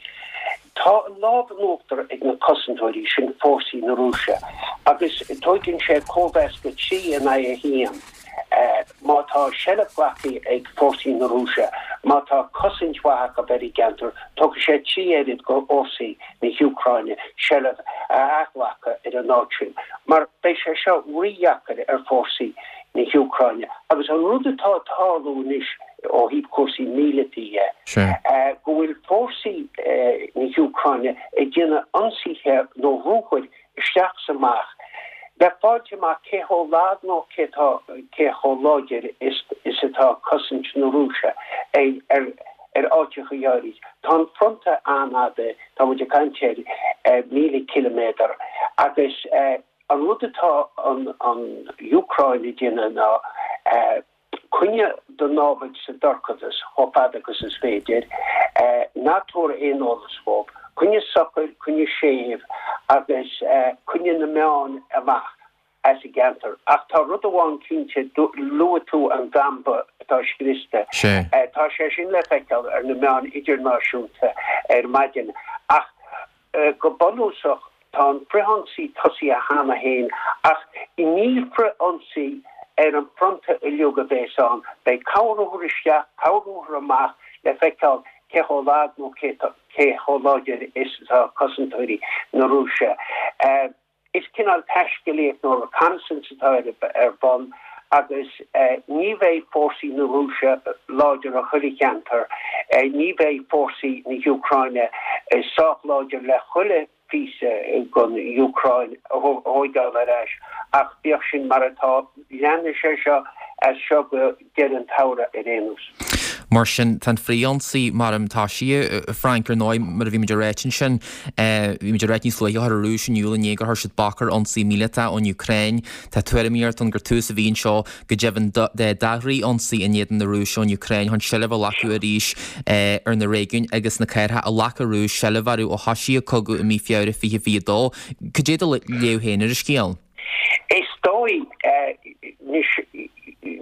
tá an lámh in uachtar ag na cosantóirí, sin fórsaí na Rúise, agus tóigeann sé cóimheas de 3 in aghaidh 1 má tá seilbh glactha ag fórsaí na Rúise, má tá cosaint mhaith acu ar an gceantar, tógfaidh sé 3 oiread go fhórsaí na hÚcráine seilbh a athghlacadh ar an áit sin, mar beidh sé seo rídheacair ar fhórsaí na hÚcráine. Agus an rud atá ag tarlú anois ó thaobh cúrsaí míleata dhe, go bhfuil fórsaí na hÚcráine ag déanamh ionsaithe nó ruathair isteach is amach le fáilt amach cé chomh lag nó cé tá, cé chomh láidir is is atá cosaint na Rúise ar ar ar áiteacha áirid. Tá an fronta an-fhada, tá muid ag caint ar 1,000 ciliméadar agus an rud atá an an Úcráin ag déanamh ná Coinnigh do námhaid sa dorchadas chomh fada agus is féidir. Ná tabhair aon eolas dhóibh. Coinnigh socair, coinnigh séimh agus coinnigh na meáin amach as an gceantar. Ach tá rud amháin cinnte, luaigh tú an damba atá scriosta. Tá sé sin le feiceáil ar na meáin idirnáisiúnta ar maidin. Ach Go bunúsach, tá an frithionsaí tosaithe cheana féin, ach ní frithionsaí ar an bhfronta uilig a bheas ann. Beidh corr-ruathar isteach, corr-ruathar amach le feiceáil cé chomh lag nó cé chomh láidir is atá cosantóirí na Rúise. Is cineál taiscéalaíocht nó reconnaissance atá ar bun agus ní bheidh fórsaí na Rúise láidir i chuile cheantar, ní bheidh fórsaí na hÚcráine sách láidir le chuile phíosa den Úcráin a thóigeáil ar ais ach bíodh sin mar atá, leanfaidh sé seo as seo go deireadh an tsamhraidh ar aon nós. Mar sin, tá an frithionsaí mar atá sé, a Frank, ar ndóigh, mar a bhí muid ag ráit ansin, bhí muid ag ráit níos luaithe, chuir an Rúis in iúl inné gur chuir siad bac ar ionsaí míleata ón Úcráin. Tá tuairimíocht ann gur tús a bhí anseo, go deimhin, dá fhrithionsaí in éadan na Rúise ón Úcráin chun seilbh a ghlacadh arís ar na réigiúin agus na cathracha a ghlac an Rúis seilbh orthu ó thosaigh an cogadh i mí Feabhra 2022. Cad é do léamh féin ar an scéal? Is dóigh, anois,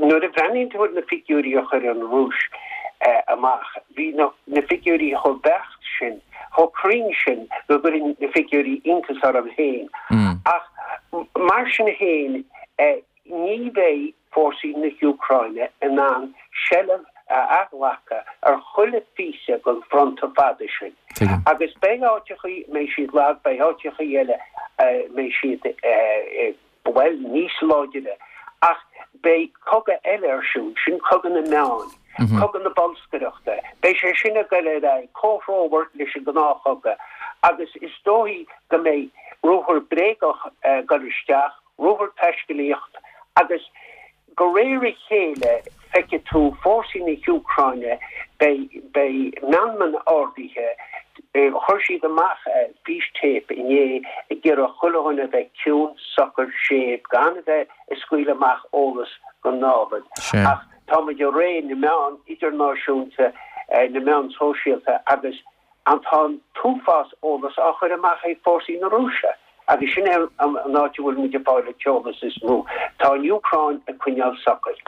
nuair a bhreathnaíonn tú ar na figiúirí a chuir an Rúis amach, bhí na figiúirí chomh beacht sin, chomh cruinn. cruinn sin go gcuireann na figiúirí iontas orm féin. Ach mar sin féin, ní bheidh fórsaí na hÚcráine in ann seilbh a athghlacadh ar chuile phíosa den fronta fada sin. Agus beidh áiteachaí a mbeidh siad lag, beidh áiteachaí eile a mbeidh siad, bhuel, níos láidire. Ach beidh cogadh eile ar siúl, sin cogadh na meán, cogadh na bolscaireachta. Beidh sé sin ag goil ar aghaidh, comhthreomhar leis an ngnáthchogadh. Agus is dóichí go mbeidh ruathar bréagach ag goil isteach, ruathar taiscéalaíocht agus de réir a chéile feicfidh tú fórsaí na hÚcráine, beidh, beidh meanman ardaithe, chuir siad amach fístéip inné ag iarraidh chuile dhuine a bheith ciúin, socair, séimh, gan a bheith ag scaoileadh amach eolas don námhaid. Ach táimid i ré na meán idirnáisiúnta, na meán sóisialta agus An tá an t-uafás eolas á chur amach ag fórsaí na Rúise agus sin é an áit a bhfuil muid ag fáil an t-eolas is mó. Tá an Úcráin ag coinneáil socair.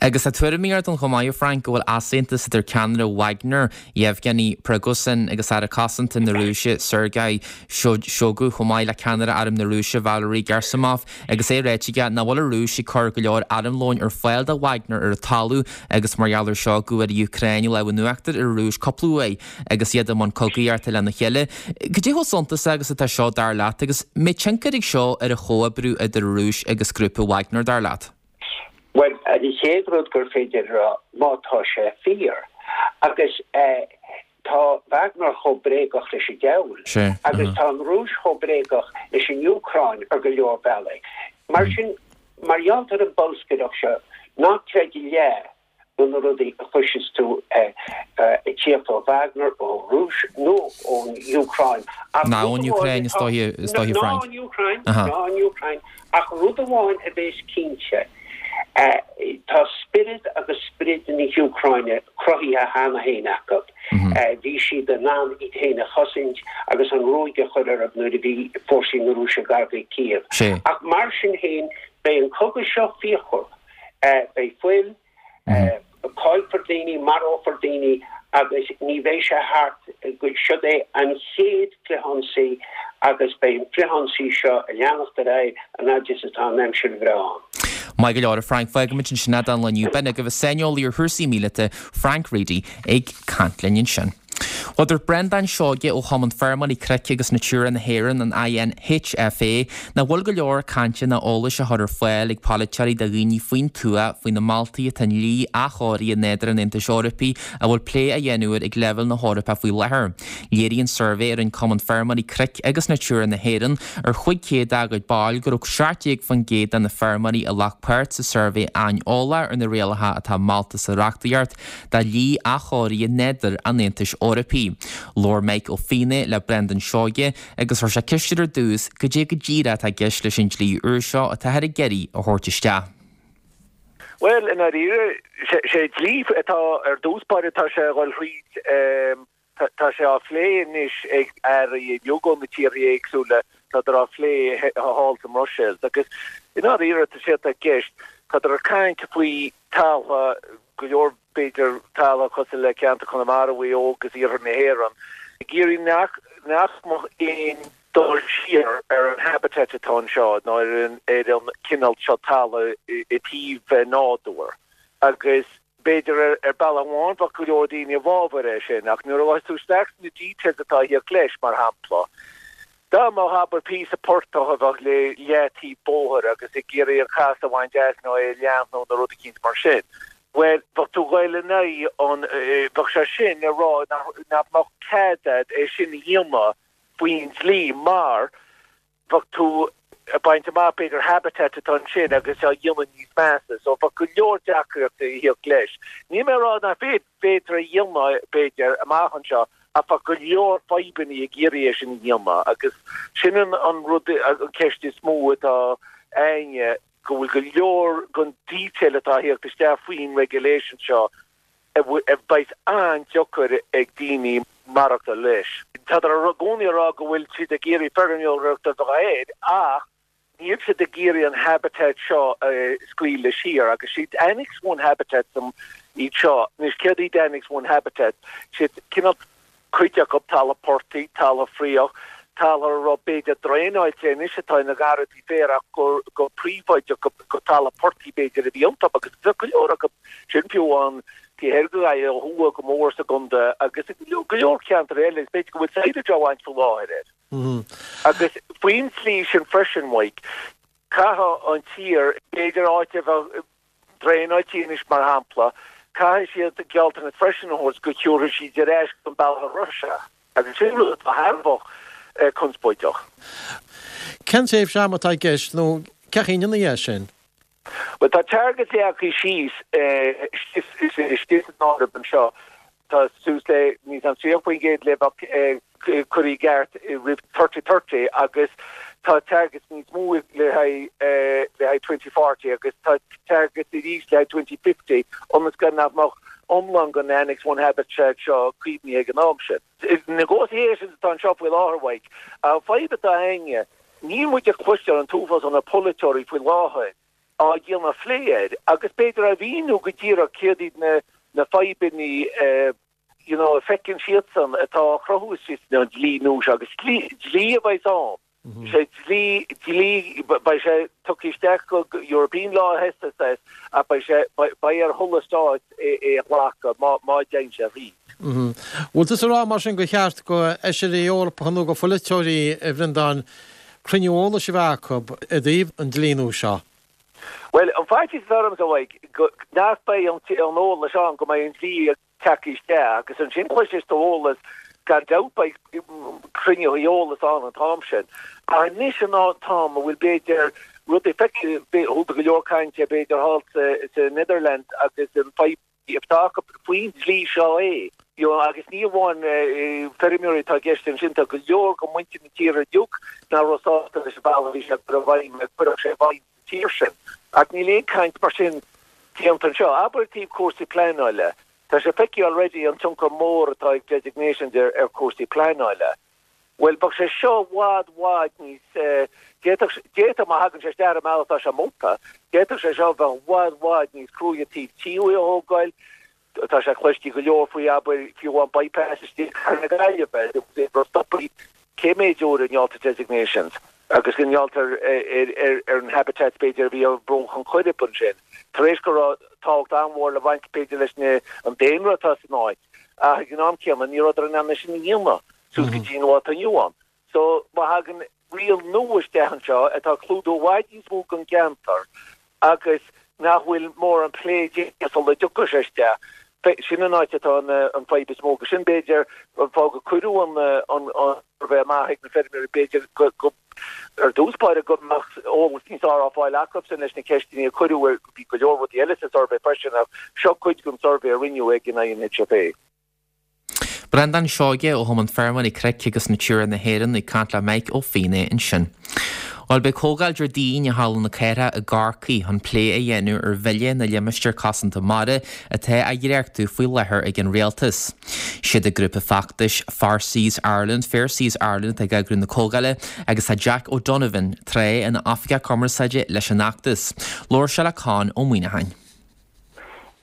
Agus tá tuairimí ardaithe chomh maith, a Frank, go bhfuil easaontas idir ceannaire Wagner, Yevgeny Prigozhin, agus Aire Cosanta na Rúise, Sergei Shoigu, chomh maith le ceannaire Arm na Rúise, Valery Gerasimov, agus é ráite aige nach bhfuil an Rúis ag cur go leor armlóin ar fáil do Wagner ar an talamh agus mar gheall air seo go bhfuair an Úcráin an lámh in uachtar ar an Rúis cúpla uair agus iad i mbun cogaíochta lena chéile. Cad é chomh suntasach agus atá seo dar leat agus an mbeidh tionchar ag seo ar an chomhoibriú idir an Rúis agus grúpa Wagner dar leat? Bhuel, an chéad rud gur féidir a rá, má tá sé fíor, agus tá Wagner chomh bréagach leis an diabhal, agus tá an Rúis chomh bréagach leis an Úcráin ar go leor bealaí. Mar sin, mar gheall ar an bolscaireacht seo, ná creid a leath de na rudaí a chloiseas tú ag tíocht ó Wagner, ón Rúis nó ón Úcráin. Ná ón Úcráin, is dóiche, is dóiche, Frank. Ná ón Úcráin, ná ón Úcráin. Ach rud amháin a bhéas cinnte, tá spiorad agus sprid na hÚcráine cruthaithe cheana féin acu. Bhí siad in ann iad féin a chosaint agus an ruaig a chur orthu nuair a bhí fórsaí na Rúise gar do Kiev. Ach mar sin féin, beidh an cogadh seo fíochmhar. Beidh fuil, caillfear daoine, marófar daoine agus ní bheidh sé thart go, siod é an chéad frithionsaí agus beidh an frithionsaí seo ag leanacht ar aghaidh an fhaid is atá an aimsir bhreá ann. Maith go leor, a Frank. Fágfaimid ansin é don lá inniu. B'in agaibh an saineolaí ar chúrsaí míleata, Frank Reidy, ag caint linn ansin. Bhuel, dúirt Breandán Seoige ó Chumann Feirmeoirí Cnoic agus Natura na hÉireann, an INHFA, nach bhfuil go leor cainte ná eolais á chur ar fáil ag polaiteoirí do dhaoine faoin tuath faoi na moltaí atá i ndlí athchóirithe nádúir an Aontais Eorpaigh a bhfuil plé á dhéanamh air ag leibhéal na hEorpa faoi láthair. Léirigh an suirbhé a rinne Cumann Feirmeoirí Cnoic agus Natura na hÉireann ar 500 dá gcuid ball go raibh 17% de na feirmeoirí a ghlac páirt sa suirbhé aineolach ar na rialacha atá molta sa reachtaíocht do dhlí athchóirithe nádúir an Aontais Eorpaigh. Labhair Mike Ó Fiannaigh le Breandán Seoige agus chuir sé ceist air ar dtús cad é go díreach atá i gceist leis an dlí úr seo atáthar ag iarraidh a thabhairt isteach. Bhuel, i ndáiríre, sé dlí atá ar dtús báire, tá sé a dhul thríd, tá sé á phlé anois ag airí uilig ó na tíortha éagsúla, tádar á phlé thall sa mBruiséil. Agus i ndáiríre, tá sé atá i gceist, tádar ag caint faoi taltha, go leor b'fhéidir taltha cosúil le ceantar Chonamara, Mhaigh Eo agus iarthar na hÉireann, ag iarraidh nach nach mbeadh aon dul siar ar an habitat atá anseo nó ar an ar an cineál seo talamh i dtaobh nádúr. Agus b'fhéidir ar ar bealach amháin bheadh go leor daoine i bhfabhar é sin ach nuair a ghabhfas tú isteach sna details atá ag tíocht leis, mar shampla, Dá mbeadh, abair, píosa portach a bheadh le leataobh bóthair agus ag iarraidh an chas a bhaint as nó é a leathnú nó rud eicínt mar sin, bhuel, bheadh tú ag goil in aghaidh an, bheadh sé sin ag rá nach mbeadh cead a'd é sin a dhéanamh faoin dlí mar bheadh tú ag baint amach b'fhéidir habitat atá ansin agus á dhéanamh níos measa. So bheadh go leor deacrachtaí ag tíocht leis. Níl mé ag rá nach bhféadfar a dhéanamh, b'fhéidir, amach anseo Ach tá go leor fadhbanna ag iarraidh é sin a dhéanamh agus sin an rud, an ceist is mó atá a'inne, go bhfuil go leor den detail atá a thíocht isteach faoin regulation seo a bheas an-deacair ag daoine maireachtáil leis. Tádar i gcónaí ag rá go bhfuil siad ag iarraidh feirmeoireacht a bheith air ach Níl siad ag iarraidh an habitat seo a scaoileadh siar agus siad Annex One habitats iad seo. Anois céard iad Annex One habitats? Siad cineál Cuid acu talamh portaigh, talamh fraoch, talamh a raibh b'fhéidir draenáilte anois atá ina ngarrantaí féir ach go go príobháideach go go talamh portaigh b'fhéidir a bhí iontu agus bheadh go leor acu sin fiú amháin taobh thoir de Ghaillimh ó thuaidh go mór sa gcontae agus i go leor ceantar eile is b'fhéidir go bhfuil silage á bhaint faoi láthair air. Agus faoin tslí sin freisin, Mhaidhc, caithfidh an tír, b'fhéidir áit a bheadh draenáilte anois mar shampla, caithfidh siad gealltanas freisin a thabhairt go dtabharfaidh siad ar ais an bealach a raibh sé. Agus sin rud atá thar a bheith conspóideach. Cén tréimhse ama atá i gceist nó cén chaoi a ndéanfaí é sin? Bhuel, tá targets leagtha síos istigh san áireamh anseo. Tá suas le, níl 's a'm, 30% le bheith curtha i gceart roimh 3030 agus tá targets níos mó le haghaidh le haghaidh 2040 agus tá targets arís le haghaidh 2050 ionas go nach mbeadh iomlán den Annex One Habitat seo caomhnaithe ag an am sin. Negotiations atá anseo faoi láthair, a Mhaidhc. An fadhb atá againne, níl muid ag cloisteáil an t-uafás ó na polaiteoirí faoi láthair á dhéanamh plé air agus b'fhéidir á mhíniú go díreach céard iad na na fadhbanna you know a feiceann siadsan atá á chruthú istigh san dlí nua seo agus dlí dlí a bheidh ann. Sé dlí dlí beidh sé tugtha isteach go European law SSS ach beidh sé beidh ar chuile stát é é a ghlacadh má má dtéann sé thríd. Bhfuil tusa ag rá mar sin gur cheart go fheisirí Eorpacha nó go pholaiteoirí, a Bhreandáin, cruinniú eolais a bheith acu i dtaobh an dlí nua seo? Bhuel, an faitíos atá ormsa, a Mhaidhc, go nach mbeidh an eolas ann go mbeidh an dlí tagtha isteach agus ansin cloisfidh tú eolas, gan dabht beidh cruinnithe eolais ann an t-am sin. Ach anois an t-am a bhfuil b'fhéidir rudaí feicthe, chuala tú go leor cainte b'fhéidir thall sa Netherlands agus an fadhb atá acu faoin dlí seo é. You know, agus ní amháin feirmeoirí atá i gceist ansin, tá go leor de mhuintir na tíre uilig nach raibh sásta leis an bhealach a bhí sé ag cur i bhfeidhm, a cuireadh sé i bhfeidhm sa tír sin. Ach níl aon caint mar sin déanta anseo. Abair i dtaobh cúrsaí pleanála. Tá sé feicthe already an tionchar mór atá ag designations ar ar chúrsaí pleanála. Bhuel, bheadh sé seo i bhfad, bhfad níos, d'fhéadfadh, d'fhéadfadh, má thagann sé isteach ar an mbealach atá sé molta, d'fhéadfadh sé seo a bheith i bhfad, bhfad níos cruaidhe taobh tithe a thógáil. Tá sé cloiste go leor faoi, abair, fiú amháin bypass istigh i gcathair na Gaillimhe, raibh stoptha cé méid uair i ngeall ar designations agus i ngeall ar, ar, ar an habitats b'fhéidir a bhí ar bhruach an Choirib ansin, tar éis go raibh tábhacht an-mhór le baint b'fhéidir leis na, an daonra atá san áit ach ag an am céanna ní rabhadar in ann é sin a dhéanamh. suas go dtí an lá atá inniu ann. So, má thagann riail nua isteach anseo atá ag clúdú i bhfad níos mó den gceantar agus nach bhfuil mórán plé déanta sula dtiocfaidh sé isteach, sin an áit atá an fadhb is mó. Agus sin, b'fhéidir, an fáth go cuireadh an suirbhé amach ag na feirmeoirí, b'fhéidir go, ar dtús báire, go mbeadh eolas níos fearr á fáil acusan leis na ceisteanna a cuireadh. Bhí go leor rudaí eile sa suirbhé freisin ach seo cuid den suirbhé a rinneadh ag an INHFA. Breandán Seoige ó Chumann Feirmeoirí Cnoic agus Natura na hÉireann ag caint le Mike Ó Fiannaigh ansin. Bhuel, beidh comhdháil Déardaoin i Halla na Cathrach i gCorcaigh chun plé a dhéanamh ar Bhille na Limistéar Cosanta Mara atá á dhréachtú faoi láthair ag an Rialtas. Siad an grúpa feachtais Far Seas Ireland, Fair Seas Ireland atá ag eagrú na comhdhála agus tá Jack O'Donovan tráth ina Oifigeach Cumarsáide leis an fheachtas. Labhair sé le Conn Ó Muíneacháin.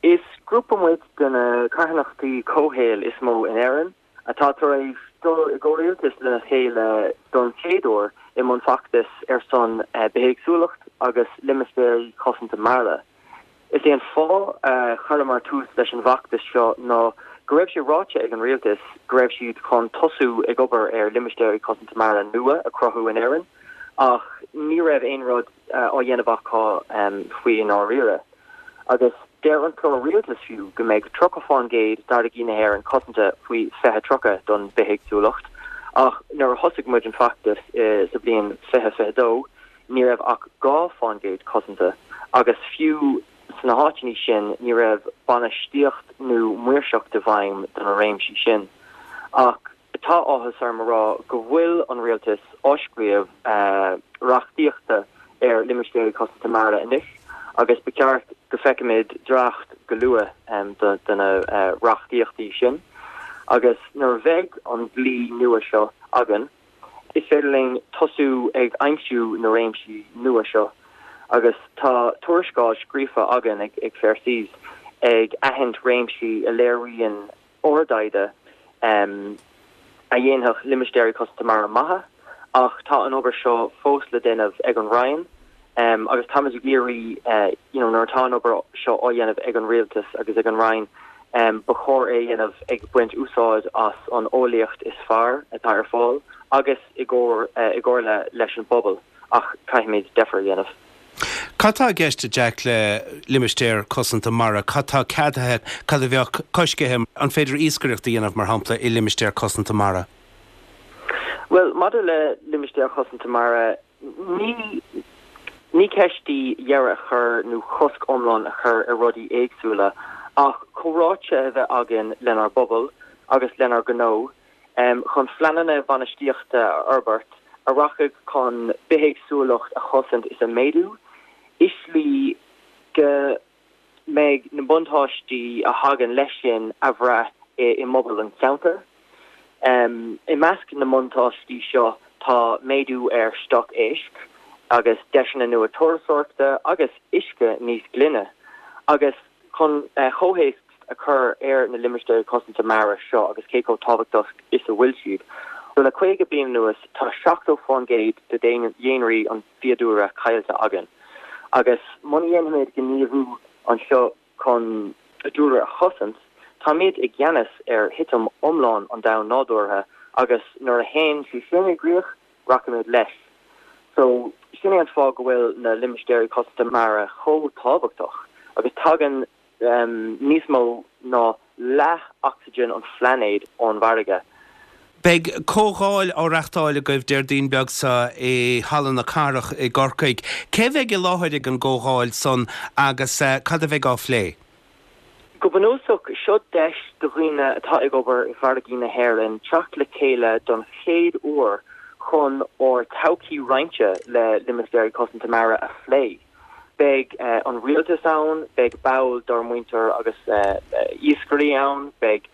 Is grúpa muid de na carthanachtaí comhshaoil is mó in Éirinn atá tar éis dul i gcomhrialtas lena chéile don chéad uair i mbun feachtais ar son bithéagsúlacht agus limistéirí cosanta mara. Is é an fáth a chuireamar tús leis an bhfeachtas seo ná go raibh sé ráite ag an rialtas go raibh siad chun tosú ag obair ar limistéirí cosanta mara nua a chruthú in Éirinn ach ní raibh aon rud á dhéanamh acu faoi i ndáiríre. Agus deir an clár rialtais fiú go mbeidh 30 fán gcéad d'fharraigí na hÉireann cosanta faoi 2030 don bithéagsúlacht, ach nuair a thosaigh muid an feachtas sa bhliain 2022 ní raibh ach 2 fán gcéad cosanta agus fiú sna háiteanna sin ní raibh bainistíocht nó maoirseacht i bhfeidhm do na réimsí sin. Ach. Tá áthas orm a rá go bhfuil an Rialtas á scríobh reachtaíochta ar Limistéirí Cosanta Mara anois agus ba cheart go feicfimid dréacht go luath de na reachtaíochtaí sin agus nuair a bheidh an dlí nua seo againn is féidir linn tosú ag aimsiú na réimsí nua seo agus tá tuarascáil scríofa againn ag Fair Seas ag aithint réimsí a léiríonn ár dtaighde. a dhéanfadh limistéirí cosanta mara maithe ach tá an obair seo fós le déanamh ag an Roinn agus táimid ag iarraidh you know nuair atá an obair seo á dhéanamh ag an Rialtas agus ag an Roinn ba chóir é a dhéanamh ag baint úsáid as an eolaíocht is fearr atá ar fáil agus i gcomhar i gcomhairle leis an bpobal ach caithfimid deifir a dhéanamh. Cad tá i gceist, a Jack, le limistéar cosanta mara? Cad tá ceadaithe, cad a bheadh coiscithe? An féidir iascaireacht a dhéanamh, mar shampla, i limistéar cosanta mara? Bhuel, maidir le limistéir chosanta mara, ní ní ceist í deireadh a chur nó cosc iomlán a chur ar rudaí éagsúla, ach comhráite a bheith againn lenár bpobal agus lenár ngnó chun phleananna bainistíochta a fhorbairt a rachaidh chun bithéagsúlacht a chosaint is a méadú, i slí go mbeidh na buntáistí a thagann leis sin a bhrath i bpobal an cheantair. I measc na mbuntáistí seo tá méadú ar stoc éisc agus deiseanna nua turasóireachta agus uisce níos glaine agus Chun comhthéacs a chur ar na limistéirí cosanta mara seo agus cé chomh tábhachtach is a bhfuil siad, le 50 bliain anuas tá 70% de dhaonraí an fiadhúlra caillte againn agus muna dhéanfaimid gníomhú anseo chun dúlra a chosaint, táimid i gceannas ar thitim iomlán an domhain nádúrtha agus nuair a théann sé sin i gcrích, rachaimid leis. So, sin é an fáth go bhfuil na limistéirí cosanta mara chomh tábhachtach agus tagann níos mó ná leath ocsaigin an phláinéid ón bhfarraige. Beidh comhdháil á reachtáil agaibh Déardaoin beag seo i Halla na Cathrach i gCorcaigh. Cé bheidh i láthair ag an gcomhdháil san agus cad a bheidh á phlé? Go bunúsach, seo deis do dhaoine atá ag obair i bhfarraigí na hÉireann teacht le chéile don chéad uair chun ár todhchaí roinnte le Limistéirí Cosanta Mara a phlé. Beidh an rialtas ann, beidh ball dár muintir agus iascairí ann, beidh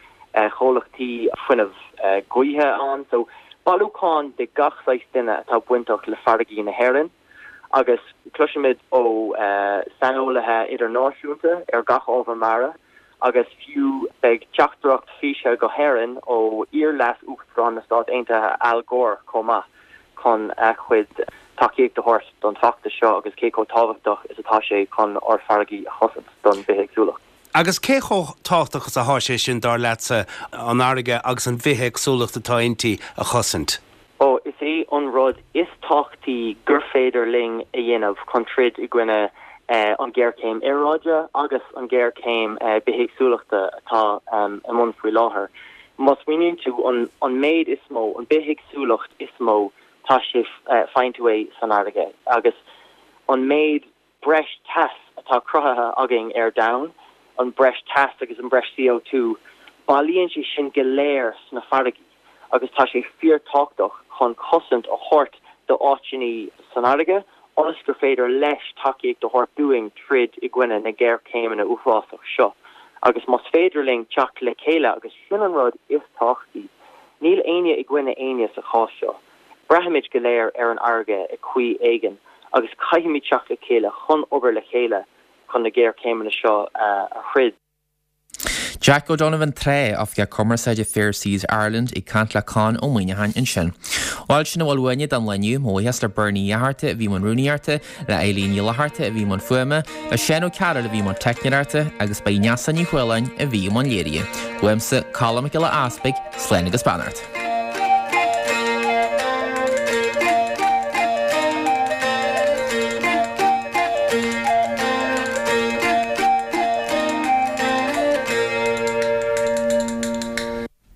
comhlachtaí fuinneamh gaoithe ann, so bailiúchán de gach saghas duine atá bainteach le farraigí na hÉireann. agus cloisfimid ó saineolaithe idirnáisiúnta ar gach ábhar mara agus fiú beidh teachtaireacht físe go hÉirinn ó iar-Leas-Uachtarán na Stát Aontaithe Al Gore chomh maith chun a chuid tacaíocht a thabhairt don bhfeachtas seo agus cé chomh tábhachtach is atá sé chun ár farraigí a chosaint don bhithéagsúlacht. Agus cé chomh tábhachtach is atá sé sin, dar leatsa, an fharraige agus an bhithéagsúlacht atá inti a chosaint? Ó, is é an rud is tábhachtaí gur féidir linn a dhéanamh chun troid i gcoinne an ghéarchéim aeráide agus an ghéarchéim bithéagsúlachta atá i mbun faoi láthair. Má smaoiníonn tú, an méid is mó, an bithéagsúlacht is mó, tá sé, faigheann tú é san fharraige agus an méid breis teas atá cruthaithe againn ar domhan, an breis teas agus an breis CO2, bailíonn sé sin go léir sna farraigí agus tá sé fíortábhachtach chun cosaint a thabhairt do áiteanna san fharraige ionas gur féidir leis tacaíocht a thabhairt dúinn troid i gcoinne na géarchéimeanna uafásach seo. Agus más féidir linn teacht le chéile, agus sin an rud is tábhachtaí, níl éinne i gcoinne éinne sa chás seo. Braithimid go léir ar an fharraige i chaoi éigin agus caithfimid teacht le chéile chun obair le chéile chun na géarchéimeanna seo a throid. Jack O'Donovan Trá, Oifigeach Cumarsáide Fair Seas Ireland ag caint le Conn Ó Muíneacháin ansin. Bhuel, sin a bhfuil uainne don lá inniu. Mo bhuíochas le Bernie Uí Fhátharta a bhí i mbun rúnaíochta, le Eileen Ní Fhlatharta a bhí i mbun fuaime, le Seán Ó Cearúil a bhí i mbun teicneoireachta agus ba í Neasa Ní Chualáin a bhí i mbun léirithe. Uaimse, Colm Mac Giolla Easpaig, slán agus beannacht.